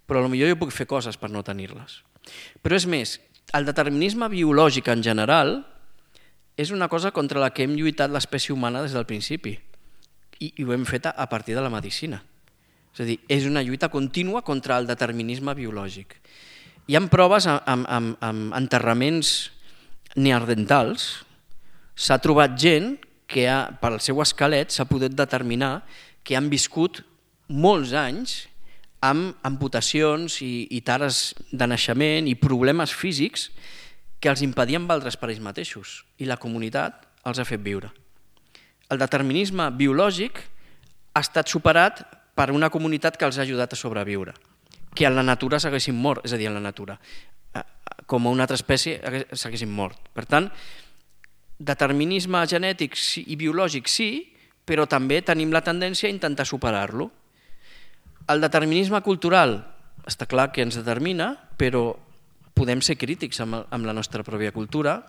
Però potser jo puc fer coses per no tenir-les. Però és més, el determinisme biològic en general és una cosa contra la que hem lluitat l'espècie humana des del principi i ho hem fet a partir de la medicina. És a dir, és una lluita contínua contra el determinisme biològic. Hi ha proves amb enterraments neandertals. S'ha trobat gent que pel seu esquelet s'ha pogut determinar que han viscut molts anys amb amputacions i tares de naixement i problemes físics que els impedien valdre's per ells mateixos i la comunitat els ha fet viure. El determinisme biològic ha estat superat per una comunitat que els ha ajudat a sobreviure, que en la natura s'haguessin mort, és a dir, en la natura, com a una altra espècie s'haguessin mort. Per tant, determinisme genètic i biològic sí, però també tenim la tendència a intentar superar-lo. El determinisme cultural està clar que ens determina, però podem ser crítics amb la nostra pròpia cultura,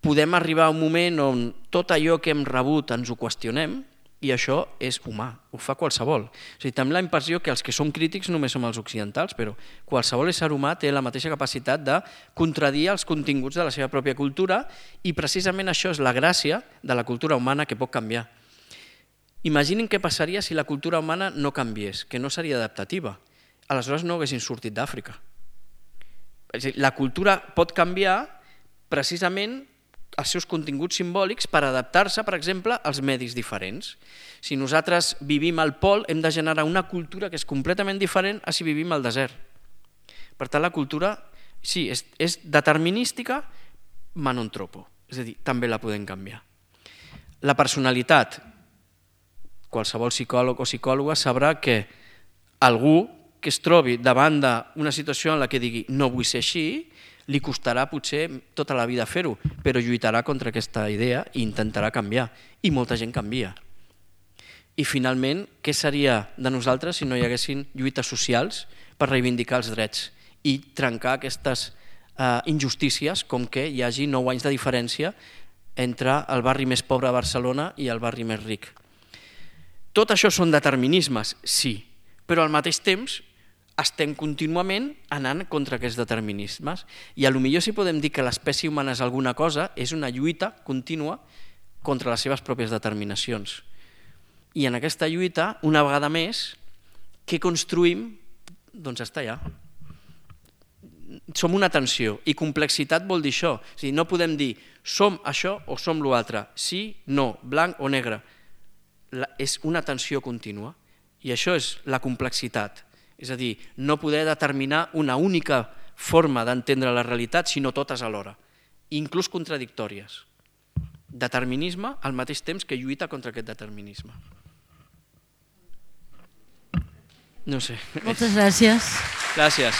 podem arribar a un moment on tot allò que hem rebut ens ho qüestionem i això és humà, ho fa qualsevol. O sigui, tenim la impressió que els que som crítics només som els occidentals, però qualsevol ésser humà té la mateixa capacitat de contradir els continguts de la seva pròpia cultura i precisament això és la gràcia de la cultura humana que pot canviar. Imaginin què passaria si la cultura humana no canviés, que no seria adaptativa. Aleshores no haguessin sortit d'Àfrica. La cultura pot canviar precisament els seus continguts simbòlics per adaptar-se, per exemple, als medis diferents. Si nosaltres vivim al pol, hem de generar una cultura que és completament diferent a si vivim al desert. Per tant, la cultura, sí, és determinística, ma non troppo. És a dir, també la podem canviar. La personalitat, qualsevol psicòleg o psicòloga sabrà que algú que es trobi davant d'una situació en la que digui no vull ser així, li costarà potser tota la vida fer-ho, però lluitarà contra aquesta idea i intentarà canviar. I molta gent canvia. I finalment, què seria de nosaltres si no hi haguessin lluites socials per reivindicar els drets i trencar aquestes injustícies com que hi hagi 9 anys de diferència entre el barri més pobre de Barcelona i el barri més ric. Tot això són determinismes, sí, però al mateix temps estem contínuament anant contra aquests determinismes i potser si podem dir que l'espècie humana és alguna cosa, és una lluita contínua contra les seves pròpies determinacions. I en aquesta lluita, una vegada més, què construïm? Doncs està allà. Som una tensió i complexitat vol dir això. O sigui, no podem dir som això o som l'altre, sí, no, blanc o negre. És una tensió contínua i això és la complexitat. És a dir, no poder determinar una única forma d'entendre la realitat, sinó totes alhora, inclús contradictòries. Determinisme al mateix temps que lluita contra aquest determinisme. No sé. Moltes gràcies. Gràcies.